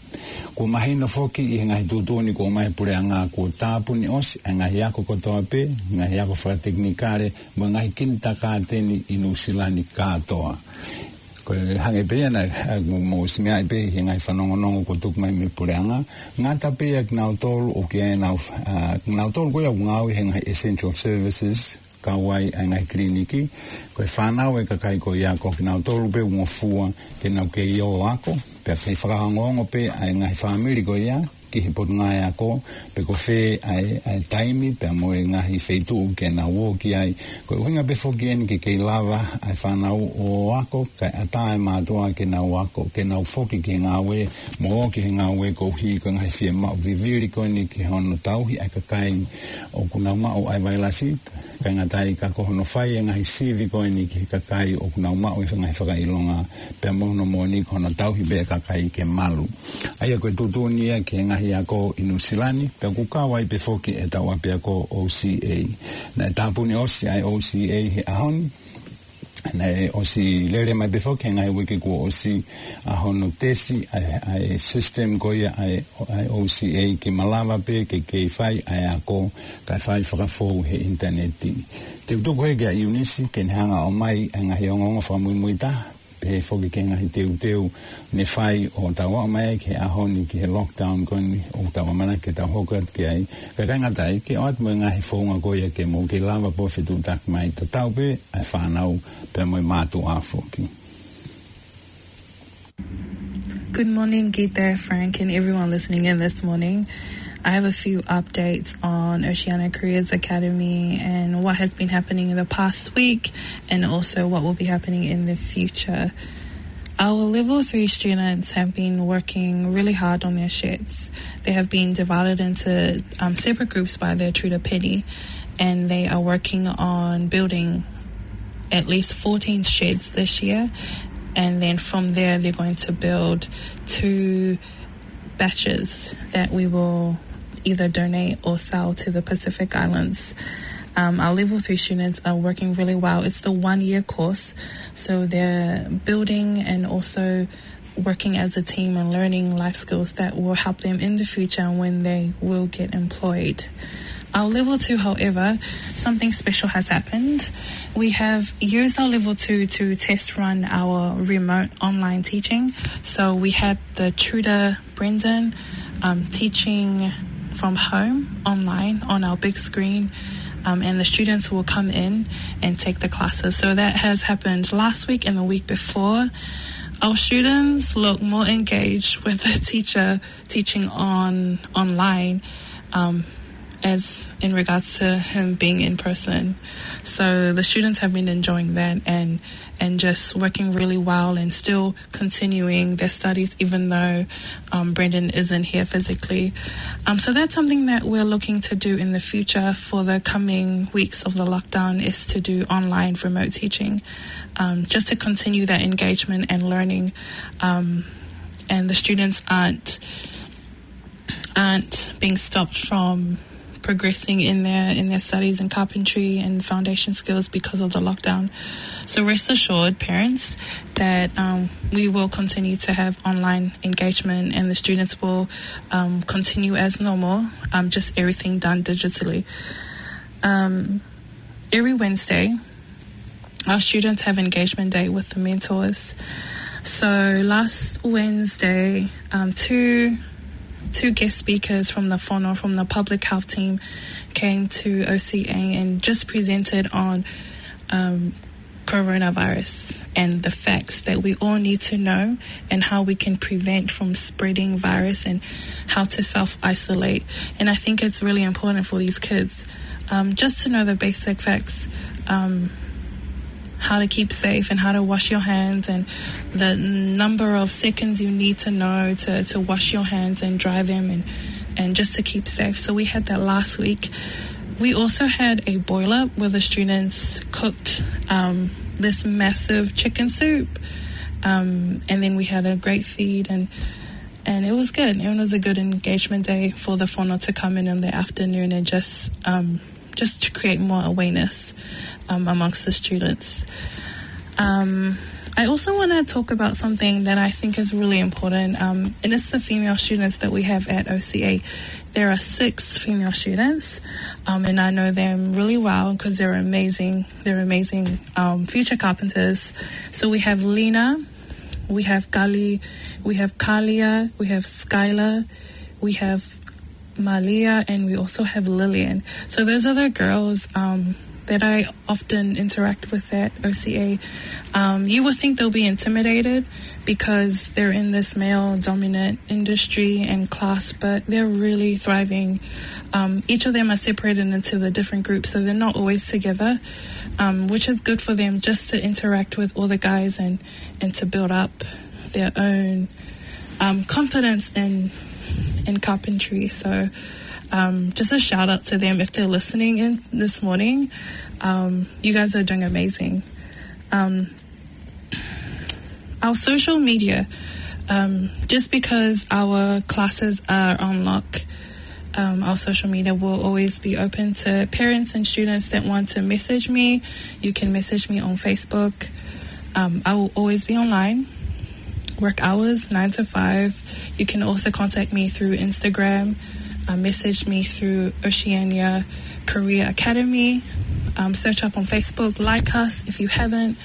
Kuo mahino foki ʻi he ngaahi tuʻutuʻuni kuo ʻomai he puleʻanga kuo tāpuni ʻosi ʻa e ngaahi ako kotoa pē, ngaahi ako fakatekinikale, mo e ngaahi kinitakāteni ʻi Nuʻusila ni kātoa. Ko e hangē pē ia naʻa, ʻa, mo, mo simeaʻi pē he ngaahi fanongonongo kuo tuku mai mei he puleʻanga. Ngata pē ia kinautolu ʻoku ʻi ai ʻenau, ʻa, kinautolu ko ia ʻoku ngāue he ngaahi essential services, kau ai ʻa e ngaahi kiliniki. Ko e fānau e kakai ko ia ko kinautolu pē ʻoku ngofua ke nau kei ō ʻo ako. Pea kei fakaongoongo pē ʻa e ngaahi fāmili ko ia ki he Potungāue Ako, pe ko fē ʻa e, ʻa e taimi, pea mo e ngaahi feituʻu ke nau ō ki ai. Ko e ʻuhinga pē foki eni ke kei lava ʻa e fānau ʻo ako, kae ʻatā e mātuʻa ke nau ako, ke nau foki ki he ngāue, mo ō ki he ngāue koeʻuhi ko e ngaahi fiemaʻu vivili ko eni ki hono tauhi ʻa e kakai ʻoku nau maʻu ʻa e vailasi, kae ngata ai ka ko hono fai e ngaahi sivi ko eni ki he kakai ʻoku nau maʻu e ngaahi fakaʻilonga, pea mo hono moʻoni ko hono tauhi pē e kakai ke malu. ʻA ia ko e tuʻutuʻuni ia ki he ngaahi ako ʻi Nuʻusila ni, pea ʻoku kau ai pē foki ʻetau ʻapiako O C A. Naʻe tāpuni ʻosi ʻa e O C A he ʻaho ni, Naʻe ʻosi lele mai pē foki he ngaahi uike kuo ʻosi ʻa hono tesi ʻa e, ʻa e system ko ia ʻa e, ʻa e O C A ke malava pē ke kei fai ʻa e ako kae fai fakafou he ʻinitaneti. Te u tuku heni kia ʻIunisi ke ne hanga ʻo ʻomai ʻa e ngaahi ongoongo fakamuimui taha, pehē foki ki he ngaahi teuteu ne fai ʻo tau aʻu mai ai ki he ʻaho ni ki he lockdown ko eni ʻoku tau ʻamanaki ke tau hoko atu ki ai. Kae ʻikai ngata ai, ke ʻoatu mo e ngaahi founga ko ia ke mou kei lava pē ʻo fetuʻutaki mai, tatau pē ʻa e fānau pea mo e mātuʻa foki. Good morning, Gita, Frank, and everyone listening in this morning. I have a few updates on Oceania Careers Academy and what has been happening in the past week, and also what will be happening in the future. Our level three students have been working really hard on their sheds. They have been divided into, um, separate groups by their tutor, Penny, and they are working on building at least fourteen sheds this year. And then from there, they're going to build two batches that we will either donate or sell to the Pacific Islands. Um, our level three students are working really well. It's the one-year course, so they're building and also working as a team and learning life skills that will help them in the future when they will get employed. Our level two, however, something special has happened. We have used our level two to test run our remote online teaching. So we had the tutor, Brendan, um, teaching from home online on our big screen, um, and the students will come in and take the classes. So that has happened last week and the week before. Our students look more engaged with the teacher teaching on online, um, as in regards to him being in person. So the students have been enjoying that and, and just working really well and still continuing their studies, even though, um, Brendan isn't here physically. Um, so that's something that we're looking to do in the future for the coming weeks of the lockdown, is to do online remote teaching, um, just to continue that engagement and learning. Um, and the students aren't, aren't being stopped from progressing in their, in their studies in carpentry and foundation skills because of the lockdown. So rest assured, parents, that, um, we will continue to have online engagement and the students will, um, continue as normal, um, just everything done digitally. Um, every Wednesday, our students have engagement day with the mentors. So last Wednesday, um, two, two guest speakers from the Fono, from the public health team, came to O C A and just presented on, um, coronavirus and the facts that we all need to know and how we can prevent from spreading virus and how to self-isolate. And I think it's really important for these kids, um, just to know the basic facts, um, how to keep safe and how to wash your hands and the number of seconds you need to know to, to wash your hands and dry them and, and just to keep safe. So we had that last week. We also had a boil up where the students cooked, um, this massive chicken soup. Um, and then we had a great feed and, and it was good. It was a good engagement day for the Fono to come in in the afternoon and just, um, just to create more awareness, um, amongst the students. Um, I also want to talk about something that I think is really important, um, and it's the female students that we have at O C A. There are six female students, um, and I know them really well 'cause they're amazing. They're amazing, um, future carpenters. So we have Lena, we have Kali, we have Kalia, we have Skylar, we have Malia, and we also have Lillian. So those are the girls, um, that I often interact with at O C A. Um, you would think they'll be intimidated because they're in this male-dominant industry and class, but they're really thriving. Um, each of them are separated into the different groups, so they're not always together, um, which is good for them just to interact with all the guys and, and to build up their own, um, confidence in, in carpentry. So, um, just a shout out to them if they're listening in this morning. Um, you guys are doing amazing. Um, our social media, um, just because our classes are on lock, Um, our social media will always be open to parents and students that want to message me. You can message me on Facebook. Um, I will always be online. Work hours, nine to five. You can also contact me through Instagram. Uh, message me through Oceania Career Academy. Um, search up on Facebook, like us if you haven't.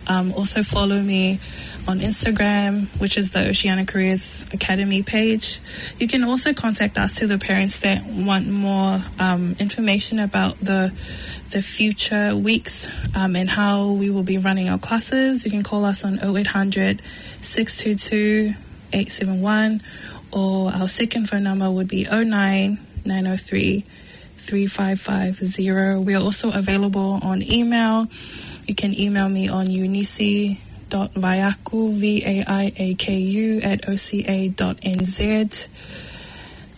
Um, also follow me on Instagram, which is the Oceania Careers Academy page. You can also contact us to the parents that want more, um, information about the the future weeks, um, and how we will be running our classes. You can call us on oh eight hundred, six two two, eight seven one, or our second phone number would be oh nine, nine oh three, three five five zero. We are also available on email. You can email me on eunice dot vaiaku, V A I A K U, at O C A dot N Z.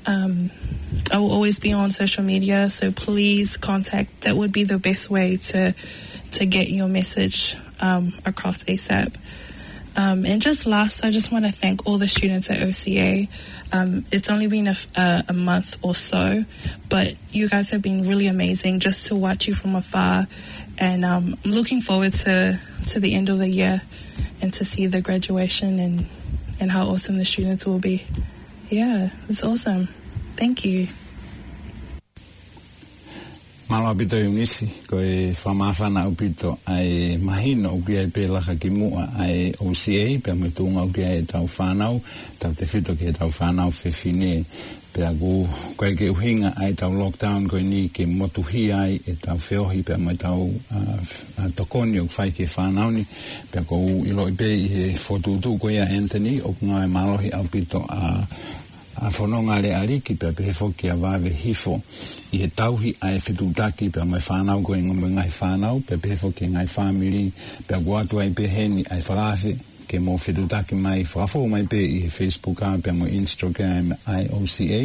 Um, I will always be on social media, so please contact. That would be the best way to to get your message, um, across ASAP. Um, and just last, I just want to thank all the students at O C A. Um, it's only been a, f- a, a month or so, but you guys have been really amazing just to watch you from afar. And, um, I'm looking forward to, to the end of the year and to see the graduation and, and how awesome the students will be. Yeah, it's awesome. Thank you. Mālō ʻaupito Eunice, ko e fakamāfana ʻaupito ʻa e mahino ʻoku ʻi ai pē laka ki muʻa ʻa e O C A, pea mo e tuʻunga ʻoku ʻi ai ʻetau fānau, tautefito ki heʻetau fānau fefine. Pea ʻoku, ʻoku ʻikai ke ʻuhinga ʻa ʻetau lockdown ko eni ke motuhia ai ʻetau feohi pea mo ʻetau, ʻa, ʻa, tokoni ʻoku fai ki he fānau ni. Pea ʻoku ou ʻiloʻi pē ʻi he fokotuʻutuʻu ko ia ʻa Anthony, ʻoku ngāue mālohi ʻaupito ʻa ʻa fononga ʻa e ʻEiki pea pehē foki ʻa e vave hifo ʻi he tauhi ʻa e fetuʻutaki pea mo e fānau ko eni mo e ngaahi fānau, pea pehē foki e ngaahi fāmili, pea ʻoku ʻoatu ai pē heni ʻa e fakaafe ke mou fetuʻutaki mai, fakafou mai pē ʻi he Facebook ʻa pea mo e Instagram ʻa e O C A,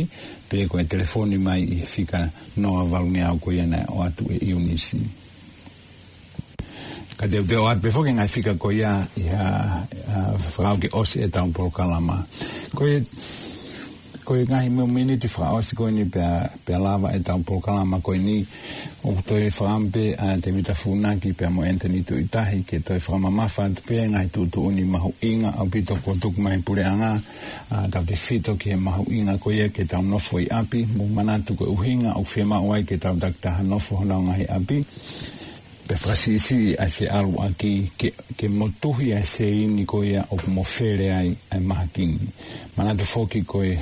pe ko e telefoni mai ʻi he fika noa valungeau ko ia naʻe ʻoatu ʻe Eunice. Ka te u toe ʻoatu pē foki e ngaahi fika ko ia ʻi ha, ʻa, fakaʻau ke ʻosi ʻetau polokalama. Ko e, ko e ngaahi mo- miniti fakaʻosi ko eni pea, pea lava ʻetau polokalama ko eni, ʻoku toe fakaʻamu pē ʻa Tēvita Funaki pea mo Anthony Tuʻitahi ke toe fakamamafa atu pē ngaahi tuʻutuʻuni mahuʻinga ʻaupito kuo tuku mai ʻe he puleʻanga, ʻa, tautefito ki he mahuʻinga ko ia ke tau nofo ʻi ʻapi, mou manatu ko e ʻuhinga ʻoku fiemaʻu ai ke tau takitaha nofo honau ngaahi ʻapi. Pea fakasiʻisiʻi ʻa e feʻaluʻaki ke, ke motuhi ʻa e sēini ko ia ʻoku mofele ai ʻa e mahaki ni. Manatu foki ko e,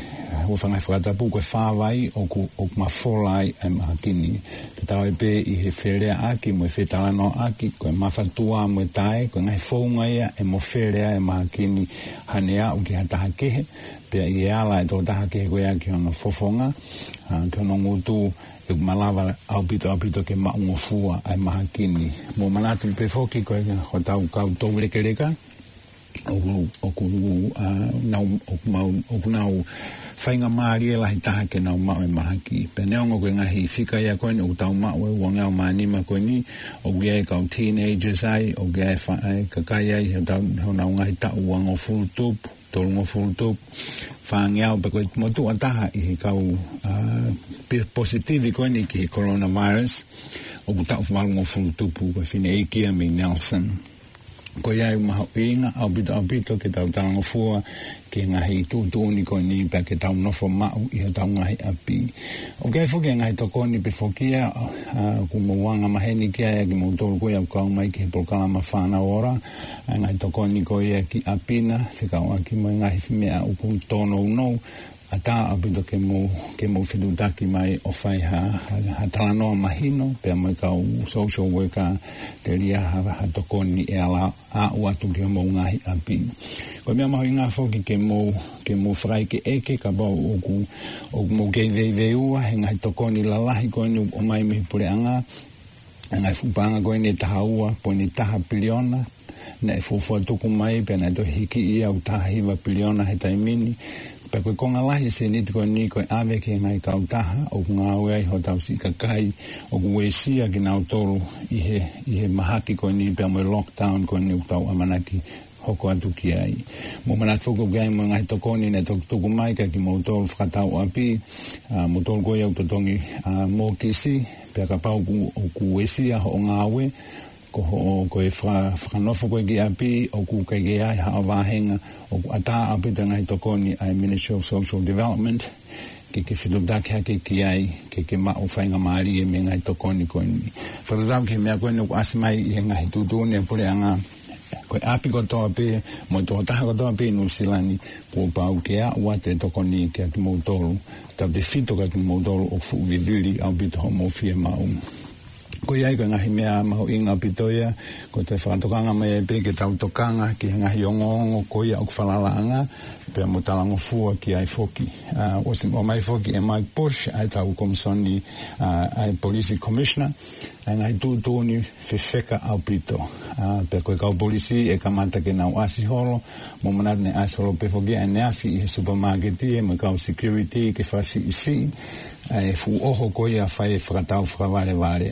ʻoku fanga fakatapu ko e fā vai ʻoku, ʻoku mafola ai ʻa e mahaki ni. Tatau ai pē ʻi he feleaʻaki mo e fetalanoaʻaki, ko e mafatuʻa mo e tae, ko e ngaahi founga ia ʻe mofele ai ʻa e mahaki ni, hangē ʻoku ʻi ai ha taha kehe, pea ʻi he ala ʻa e tokotaha kehe ko ia ki hono fofonga, ʻa, ki hono ngutu, ʻoku malava ʻaupito ʻaupito ke maʻungofua ʻa e mahaki ni. Mou manatu pē foki ko e hotau kau toulekeleka, ʻoku, ʻoku, ʻa, nau, ʻoku mau, ʻoku nau faingamālie lahi taha ke nau maʻu e mahaki. Pea neongo ko e ngaahi fika ia ko eni ʻoku tau maʻu ʻe uangeau mā nima ko eni, ʻoku ʻi ai e kau teenagers ai, ʻoku ʻi ai e fa-, ʻa e kakai ai, hotau, honau ngaahi taʻu uangofulu tupu, tolungofulu tupu, fāngeau, pea ko e motuʻa taha ʻi he kau, ʻa, pe-, positivi ko eni ki he coronavirus, ʻoku taʻu valungofulu tupu, ko e fineʻeiki ia mei Nelson. Ko ia ʻoku mahuʻinga ʻaupito ʻaupito ke tau talangofua ki he ngaahi tuʻutuʻuni ko eni pea ke tau nofo maʻu ʻi hotau ngaahi ʻapi. ʻOku ʻi ai foki e ngaahi tokoni pē foki ia, ʻa, ʻoku mou anga maheni ki ai ʻa kimoutolu ko ia ʻoku kau mai ki he polokalama Fānau Ora, ʻa e ngaahi tokoni ko ia ki ʻapi na, fekauʻaki mo e ngaahi meʻa ʻoku tōnounou, ʻatā ʻaupito ke mou, ke mou fetuʻutaki mai ʻo fai ha, ha, ha talanoa mahino, pea mo e kau social worker, telia ha, ha tokoni ʻe ala aʻu atu ki homou ngaahi ʻapi. Ko e meʻa mahuʻinga foki ke mou, ke mou fakaʻekeʻeke kapau ʻoku, ʻoku mou kei veiveiua he ngaahi tokoni lalahi ko eni ʻoku ʻomai mei he puleʻanga, ʻa e ngaahi fuʻu paʻanga ko eni ʻe taha ua poini taha piliona, naʻe fuofua tuku mai pea naʻe toe hiki ia ʻo taha hiva piliona he taimi ni. Pea ko e konga lahi e sēniti ko eni ko e ʻave ki he ngaahi kautaha ʻoku ngāue ai hotau siʻi kakai ʻoku uesia kinautolu ʻi he, ʻi he mahaki ko eni pea mo e lockdown ko eni ʻoku tau ʻamanaki hoko atu ki ai. Mou manatu foki ʻoku ʻi ai mo e ngaahi tokoni naʻe toki tuku mai kia kimoutolu fakatau ʻapi, ʻa, moutolu ko ia ʻoku totongi, ʻa, mōkisi, pea kapau ʻoku, ʻoku uesia hoʻo ngāue, ko hoʻo, ko e faka-, fakanofo ko ē ki ʻapi, ʻoku ʻikai ke ʻi ai haʻo vāhenga, ʻoku ʻatā ʻaupito e ngaahi tokoni ʻa e Ministry of Social Development, ke ke fetuʻutaki hake ki ai, ke ke maʻu faingamālie mei he ngaahi tokoni ko eni. Fakatatau ki he meʻa ko eni ʻoku ʻasi mai ʻi he ngaahi tuʻutuʻuni ʻa e puleʻanga, ko e ʻapi kotoa pē, mo e tokotaha kotoa pē ʻi Nuʻusila ni, kuo pau ke aʻu atu e tokoni kia kimoutolu, tautefito kia kimoutolu ʻoku fuʻu vivili ʻaupito hoʻomou fiemaʻu. Ko ia ai ko e ngaahi meʻa mahuʻinga ʻaupito ia, ko e toe fakatokanga mai ai pē ke tau tokanga ki he ngaahi ongoongo ko ia ʻoku falalaʻanga, pea mo talangofua ki ai foki. ʻA, ʻosi ʻomai foki ʻe Mike Bush, ʻa ʻetau komisoni, ʻa, ʻa e Police Commissioner, ʻa e ngaahi tuʻutuʻuni fefeka ʻaupito. ʻA, pea ko e kau polisi ʻe kamata ke nau ʻasi holo, mou manatu naʻe ʻasi holo pē foki ʻaneafi ʻi he supermarket ē mo e kau security ke fakasiʻisiʻi ʻa e fuʻu ʻoho ko ia fai e fakatau fakavalevale.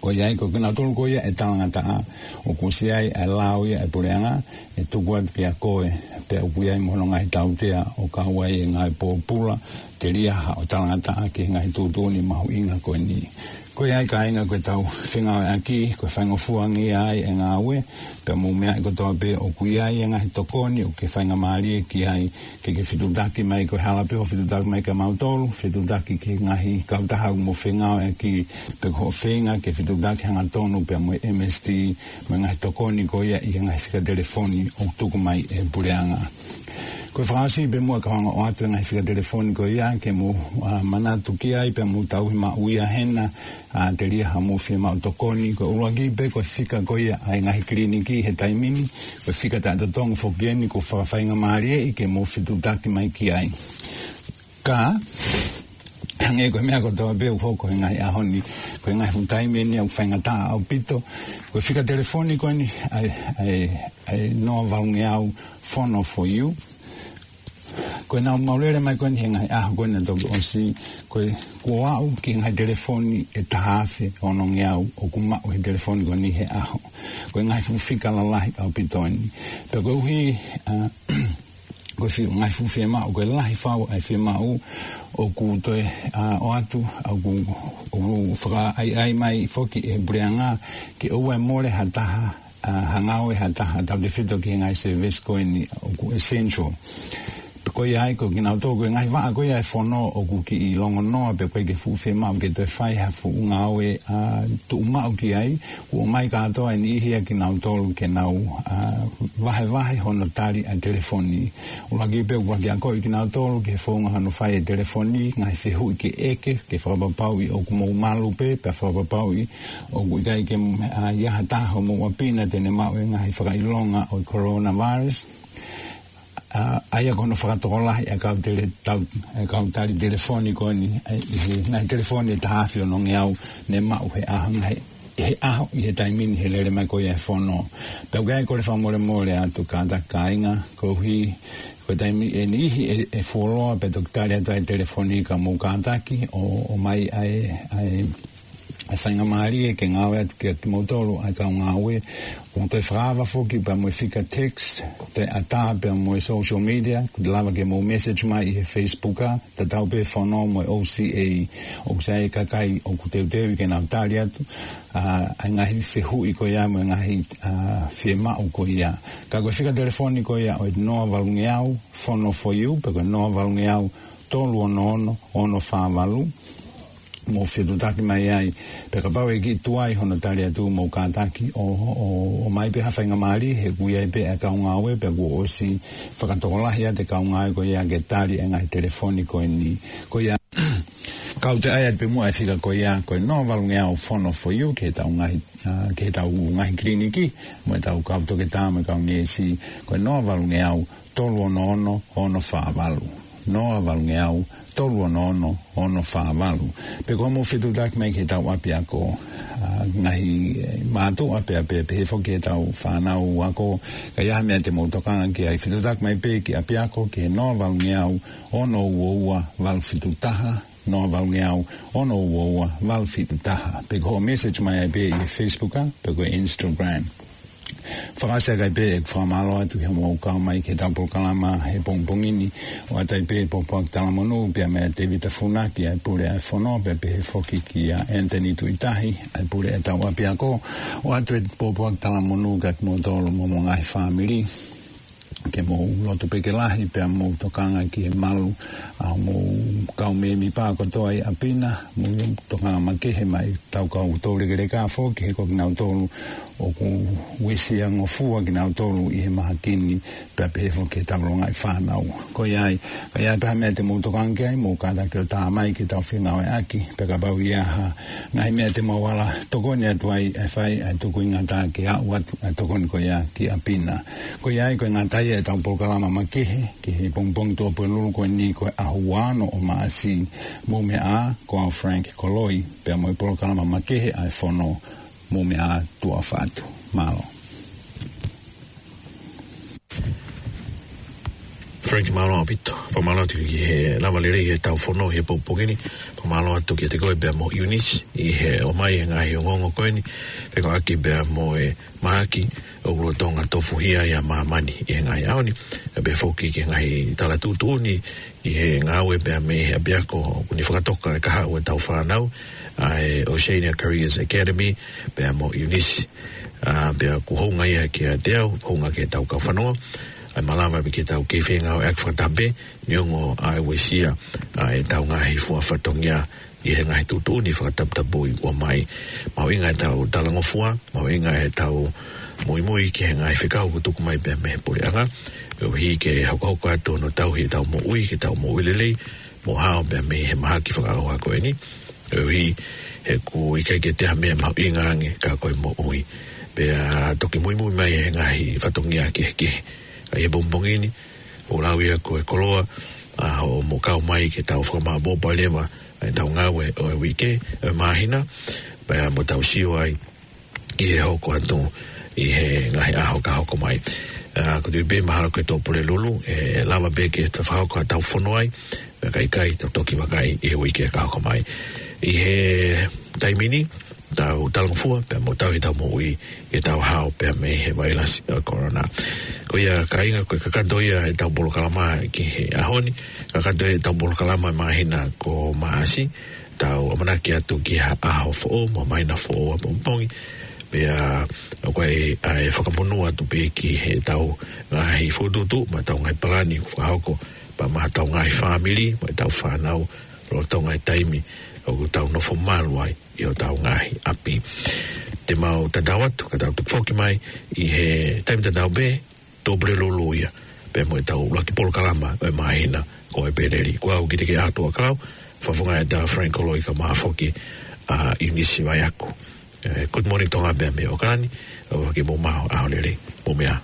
Ko ia ai ko kinautolu ko ia ʻe talangataʻa, ʻoku ʻosi ʻi ai ʻa e lao ia ʻa e puleʻanga, ʻe tuku atu kia koe, pea ʻoku ʻi ai mo hono ngaahi tautea ʻo kau ai e ngaahi pōpula, telia haʻo talangataʻa ki he ngaahi tuʻutuʻuni mahuʻinga ko eni. Ko ia ai kāinga ko ʻetau fengāueʻaki, ko e faingofua ange ia ai e ngāue, pea mou meaʻi kotoa pē ʻoku ʻi ai e ngaahi tokoni ʻoku ke faingamālie ki ai, ke ke fetuʻutaki mai ko e hala pē hoʻo fetuʻutaki mai kia mautolu, fetuʻutaki ki he ngaahi kautaha ʻoku mou fengāueʻaki, pe ko hoʻo feinga ke fetuʻutaki hangatonu pea mo e M S T, mo e ngaahi tokoni ko ia ʻi he ngaahi fika telefoni ʻoku tuku mai ʻe he puleʻanga. Ko e fakaʻosi pē muʻa ka u hanga ʻo ʻoatu e ngaahi fika telefoni ko ia ke mou, ʻa, manatu ki ai pea mou tauhi maʻu ia hena, ʻa, telia haʻamou fiemaʻu tokoni. Ko e ʻuluaki pē ko e fika ko ia ʻa e ngaahi kiliniki he taimi ni, ko e fika taʻetotongi foki eni ʻoku fakafaingamālieʻi ke mou fetuʻutaki mai ki ai. Ka, hangē ko e meʻa kotoa pē ʻoku hoko he ngaahi ʻaho ni, ko e ngaahi fuʻu taimi eni ʻoku faingataʻa ʻaupito, ko e fika telefoni ko eni ʻa e, ʻa e, ʻa e noa valungeau fono for you. Ko ʻenau maulele mai ko eni he ngaahi ʻaho ko eni naʻe toki ʻosi, ko e kuo aʻu ki he ngaahi telefoni ʻe taha afe onongeau ʻoku maʻu he telefoni ko eni he ʻaho. Ko e ngaahi fuʻu fika lalahi ʻaupito eni. Pea koeʻuhi, ʻa, ko e fi-, ngaahi fuʻu fiemaʻu, ko e lahi fau ʻa e fiemaʻu ʻoku toe, ʻa, ʻoatu, ʻoku, ʻoku fakaʻaiʻai mai foki ʻe he puleʻanga ke ʻoua ʻe mole ha taha, ʻa, ha ngāue ha taha, tautefito ki he ngaahi service ko eni ʻoku essential. Pea ko ia ai ko kinautolu ko e ngaahi vaʻa ko ia ʻa e fono ʻoku kiʻi longonoa pea ʻoku ʻikai ke fuʻu fiemaʻu ke toe fai ha fuʻu ngāue, ʻa, tuʻumaʻu ki ai, kuo ʻomai kātoa e niʻihi ʻa kinautolu ke nau, ʻa, vahevahe hono tali ʻa e telefoni. ʻUluaki pē ʻoku ʻuluaki akoʻi kinautolu ki he founga hono fai e telefoni, ngaahi fehuʻi ke ʻeke, ke fakapapauʻi ʻoku mou malu pē, pea fakapapauʻi ʻoku ʻikai ke, ʻa, ʻi ai ha taha homou ʻapi na te ne maʻu e ngaahi fakaʻilonga ʻo e coronavirus. ʻA, ʻa ia ko hono fakatokolahi ʻa e kau tele-, tau-, ʻa e kau tali telefoni ko eni, ʻa e, ʻi he ngaahi telefoni ʻe taha afe onongeau ne maʻu he ʻaho, ngaahi, he ʻaho ʻi he taimi ni he lele mai ko ia e fono. Pea ʻoku ʻi ai ko e fakamolemole atu kātaki kāinga, koeʻuhi ko e taimi ʻe niʻihi ʻe, ʻe fuoloa pea toki tali atu ai e telefoni ka mou kātaki ʻo, ʻomai ʻa e, ʻa e, ʻa e faingamālie ke ngāue atu kia kimoutolu ʻa e kau ngāue. ʻOku toe fakaava foki pea mo e fika text, toe ʻatā pea mo e social media, ʻoku lava ke mou message mai ʻi he Facebook, ʻa, tatau pē fono mo e O C A, ʻoku sai e kakai ʻoku teuteu ke nau tali atu, ʻa, ʻa e ngaahi fehuʻi ko ia mo e ngaahi, ʻa, fiemaʻu ko ia. Ka ko e fika telefoni ko ia ʻo e noa valungeau fono for you, pe ko e noa valungeau tolu ono ono ono fā valu. Mou fetuʻutaki mai ai, pea kapau ʻe kiʻi tuai hono tali atu mou kātaki ʻo, ʻo, ʻomai pē ha faingamālie he ʻoku ʻi ai pē ʻa e kau ngāue pea kuo ʻosi fakatokolahi atu e kau ngāue ko ia ke tali e ngaahi telefoni ko eni. Ko ia, ka u toe ʻai atu pē muʻa e fika ko ia, ko e noa valungeau fono for you, ki heʻetau ngaahi, ʻa, ki heʻetau ngaahi kiliniki, mo ʻetau kau toketā, mo e kau neesi, ko e noa valungeau tolu ono ono ono fā valu. Noa valungeau tolu ono ono ono fā valu. Pe ko hoʻomou fetuʻutaki mai ki heʻetau ʻapiako, ʻa, ngaahi, ʻe, mātuʻa pea, pea, pehē foki ki heʻetau fānau ako, ka ʻi ai ha meʻa te mou tokanga ki ai, fetuʻutaki mai pē ki ʻapiako ki he noa valungeau ono ua ua valu fitu taha, noa valungeau ono ua ua valu fitu taha. Pe ko hoʻo message mai ai pē ʻi he Facebook, ʻa, pe ko e Instagram. Fakaʻosi ʻaki pē ʻeku fakamālō atu ki hoʻomou kau mai ki heʻetau polokalama he pongipongi ni, ʻoatu ai pē pōpoaki talamonū pea meia Tēvita Funaki ʻa e pule ʻa e fono, pea pehē foki kia Anthony Tuʻitahi ʻa e pule ʻetau ʻapiako, ʻoatu e pōpoaki talamonū kiate kimoutolu mo homou ngaahi fāmili. Ke mou lotu pē ke lahi pea mou tokanga ki he malu ʻa hoʻomou kau mēmipa kotoa ʻi ʻapi na, mou tokanga makehe mai tau kau toulekeleka foki he ko kinautolu ʻoku uesia ngofua kinautolu ʻi he mahaki ni pea pehē foki ki heʻetau longaʻi fānau. Ko ia ai, ka ʻi ai ha meʻa te mou tokanga ki ai, mou kātaki ʻo tā mai ke tau fengāueʻaki, pea kapau ʻe ʻi ai ha ngaahi meʻa te mou ala tokoni atu ai, ʻe fai ʻa e tukuingata ke aʻu atu ʻa e tokoni ko ia ki ʻapi na. Ko ia ai, ko e ngata ia ʻetau polokalama makehe ki he pongipongi Tuʻapulelulu ko eni, ko e ʻaho ua ono ʻo Maʻasi. Mou meʻa ā, ko au Frank Koloi, pea mo e polokalama makehe ʻa e fono. Mou meʻa ā, tuʻa ʻofa atu. Mālō. Frank, mālō ʻaupito. Fakamālō atu ki he lava lelei ʻetau fono he pongipongi ni. Fakamālō atu kiate koe pea mo Eunice ʻi he ʻomai e ngaahi ongoongo ko eni, fekauʻaki pea mo e mahaki ʻoku lolotonga tofuhia ai ʻa māmani ʻi he ngaahi ʻaho ni. Pea pehē foki ki he ngaahi tala tuʻutuʻuni ʻi he ngāue pea mei he ʻapiako ʻoku ne fakatoka e kahaʻu ʻetau fānau, ʻa e Oceania Careers Academy, pea mo Eunice. ʻA, pea ʻoku hounga ia kiate au, hounga ki heʻetau kau fanongo, ʻa e malava pē ke tau kei fengāueʻaki fakataha pē, neongo ʻa e uesia ʻa ʻetau ngaahi fua fatongia ʻi he ngaahi tuʻutuʻuni fakataputapui ʻoku ʻomai. Mahuʻinga ʻetau talangofua, mahuʻinga ʻetau muimui ki he ngaahi fekau ʻoku tuku mai pea mei he puleʻanga, koeʻuhi ke hokohoko atu hono tauhi ʻetau moʻui ke tau moʻui lelei mo hao pea mei he mahaki fakaʻauha ko eni. Koeʻuhi he ʻoku ʻikai ke toe ʻi ai ha meʻa mahuʻinga ange ka ko e moʻui. Pea toki muimui mai e ngaahi fatongia kehekehe. Ka ʻi he pongipongi ni, ʻoku lau ia ko e koloa ʻa hoʻomou kau mai ke tau fakamāʻopoʻopo leva ʻetau ngāue ʻo e uike, ʻo e māhina, pea mo tau sio ai ki he hoko atu ʻi he ngaahi ʻaho ka hoko mai. ʻA, ko e tui pē mahalo ko e Tuʻapulelulu, ʻe lava pē ke fakahoko ʻetau fono ai, pea ka ʻikai, tau toki vakai ʻi he uike ka hoko mai. ʻI he taimi ni, tau talangofua pea mo tauhi ʻetau moʻui ke tau hao pea mei he vailasi ʻo e Corona. Ko ia kāinga, ko e kakato ia ʻetau polokalama ki he ʻaho ni, kakato ia ʻetau polokalama māhina ko Maʻasi, tau ʻamanaki atu ki ha ʻaho foʻou mo māhina foʻou ʻapongipongi, pea ʻoku ʻi ai ʻa e fakamonū atu pē ki heʻetau ngaahi fokotuʻutuʻu mo ʻetau ngaahi palani ʻoku fakahoko, pea mo ʻetau ngaahi fāmili mo ʻetau fānau, lolotonga e taimi ʻoku tau nofo malu ai ʻi hotau ngaahi ʻapi. Te mau tatau atu, ka tau toki foki mai ʻi he taimi tatau pē, Tuʻapulelulu ia, pea mo ʻetau ʻuluaki polokalama ʻo e māhina ko ʻEpeleli. Ko au Kitike ʻAtuʻakau, fakafofonga ʻa Frank Koloi kae ʻumaʻā foki ʻa Eunice Vaiaku. Eh, good morning Tonga pea mei ʻAokalani, ʻofa ke mou maʻu ha ʻaho lelei, mou meʻa ā.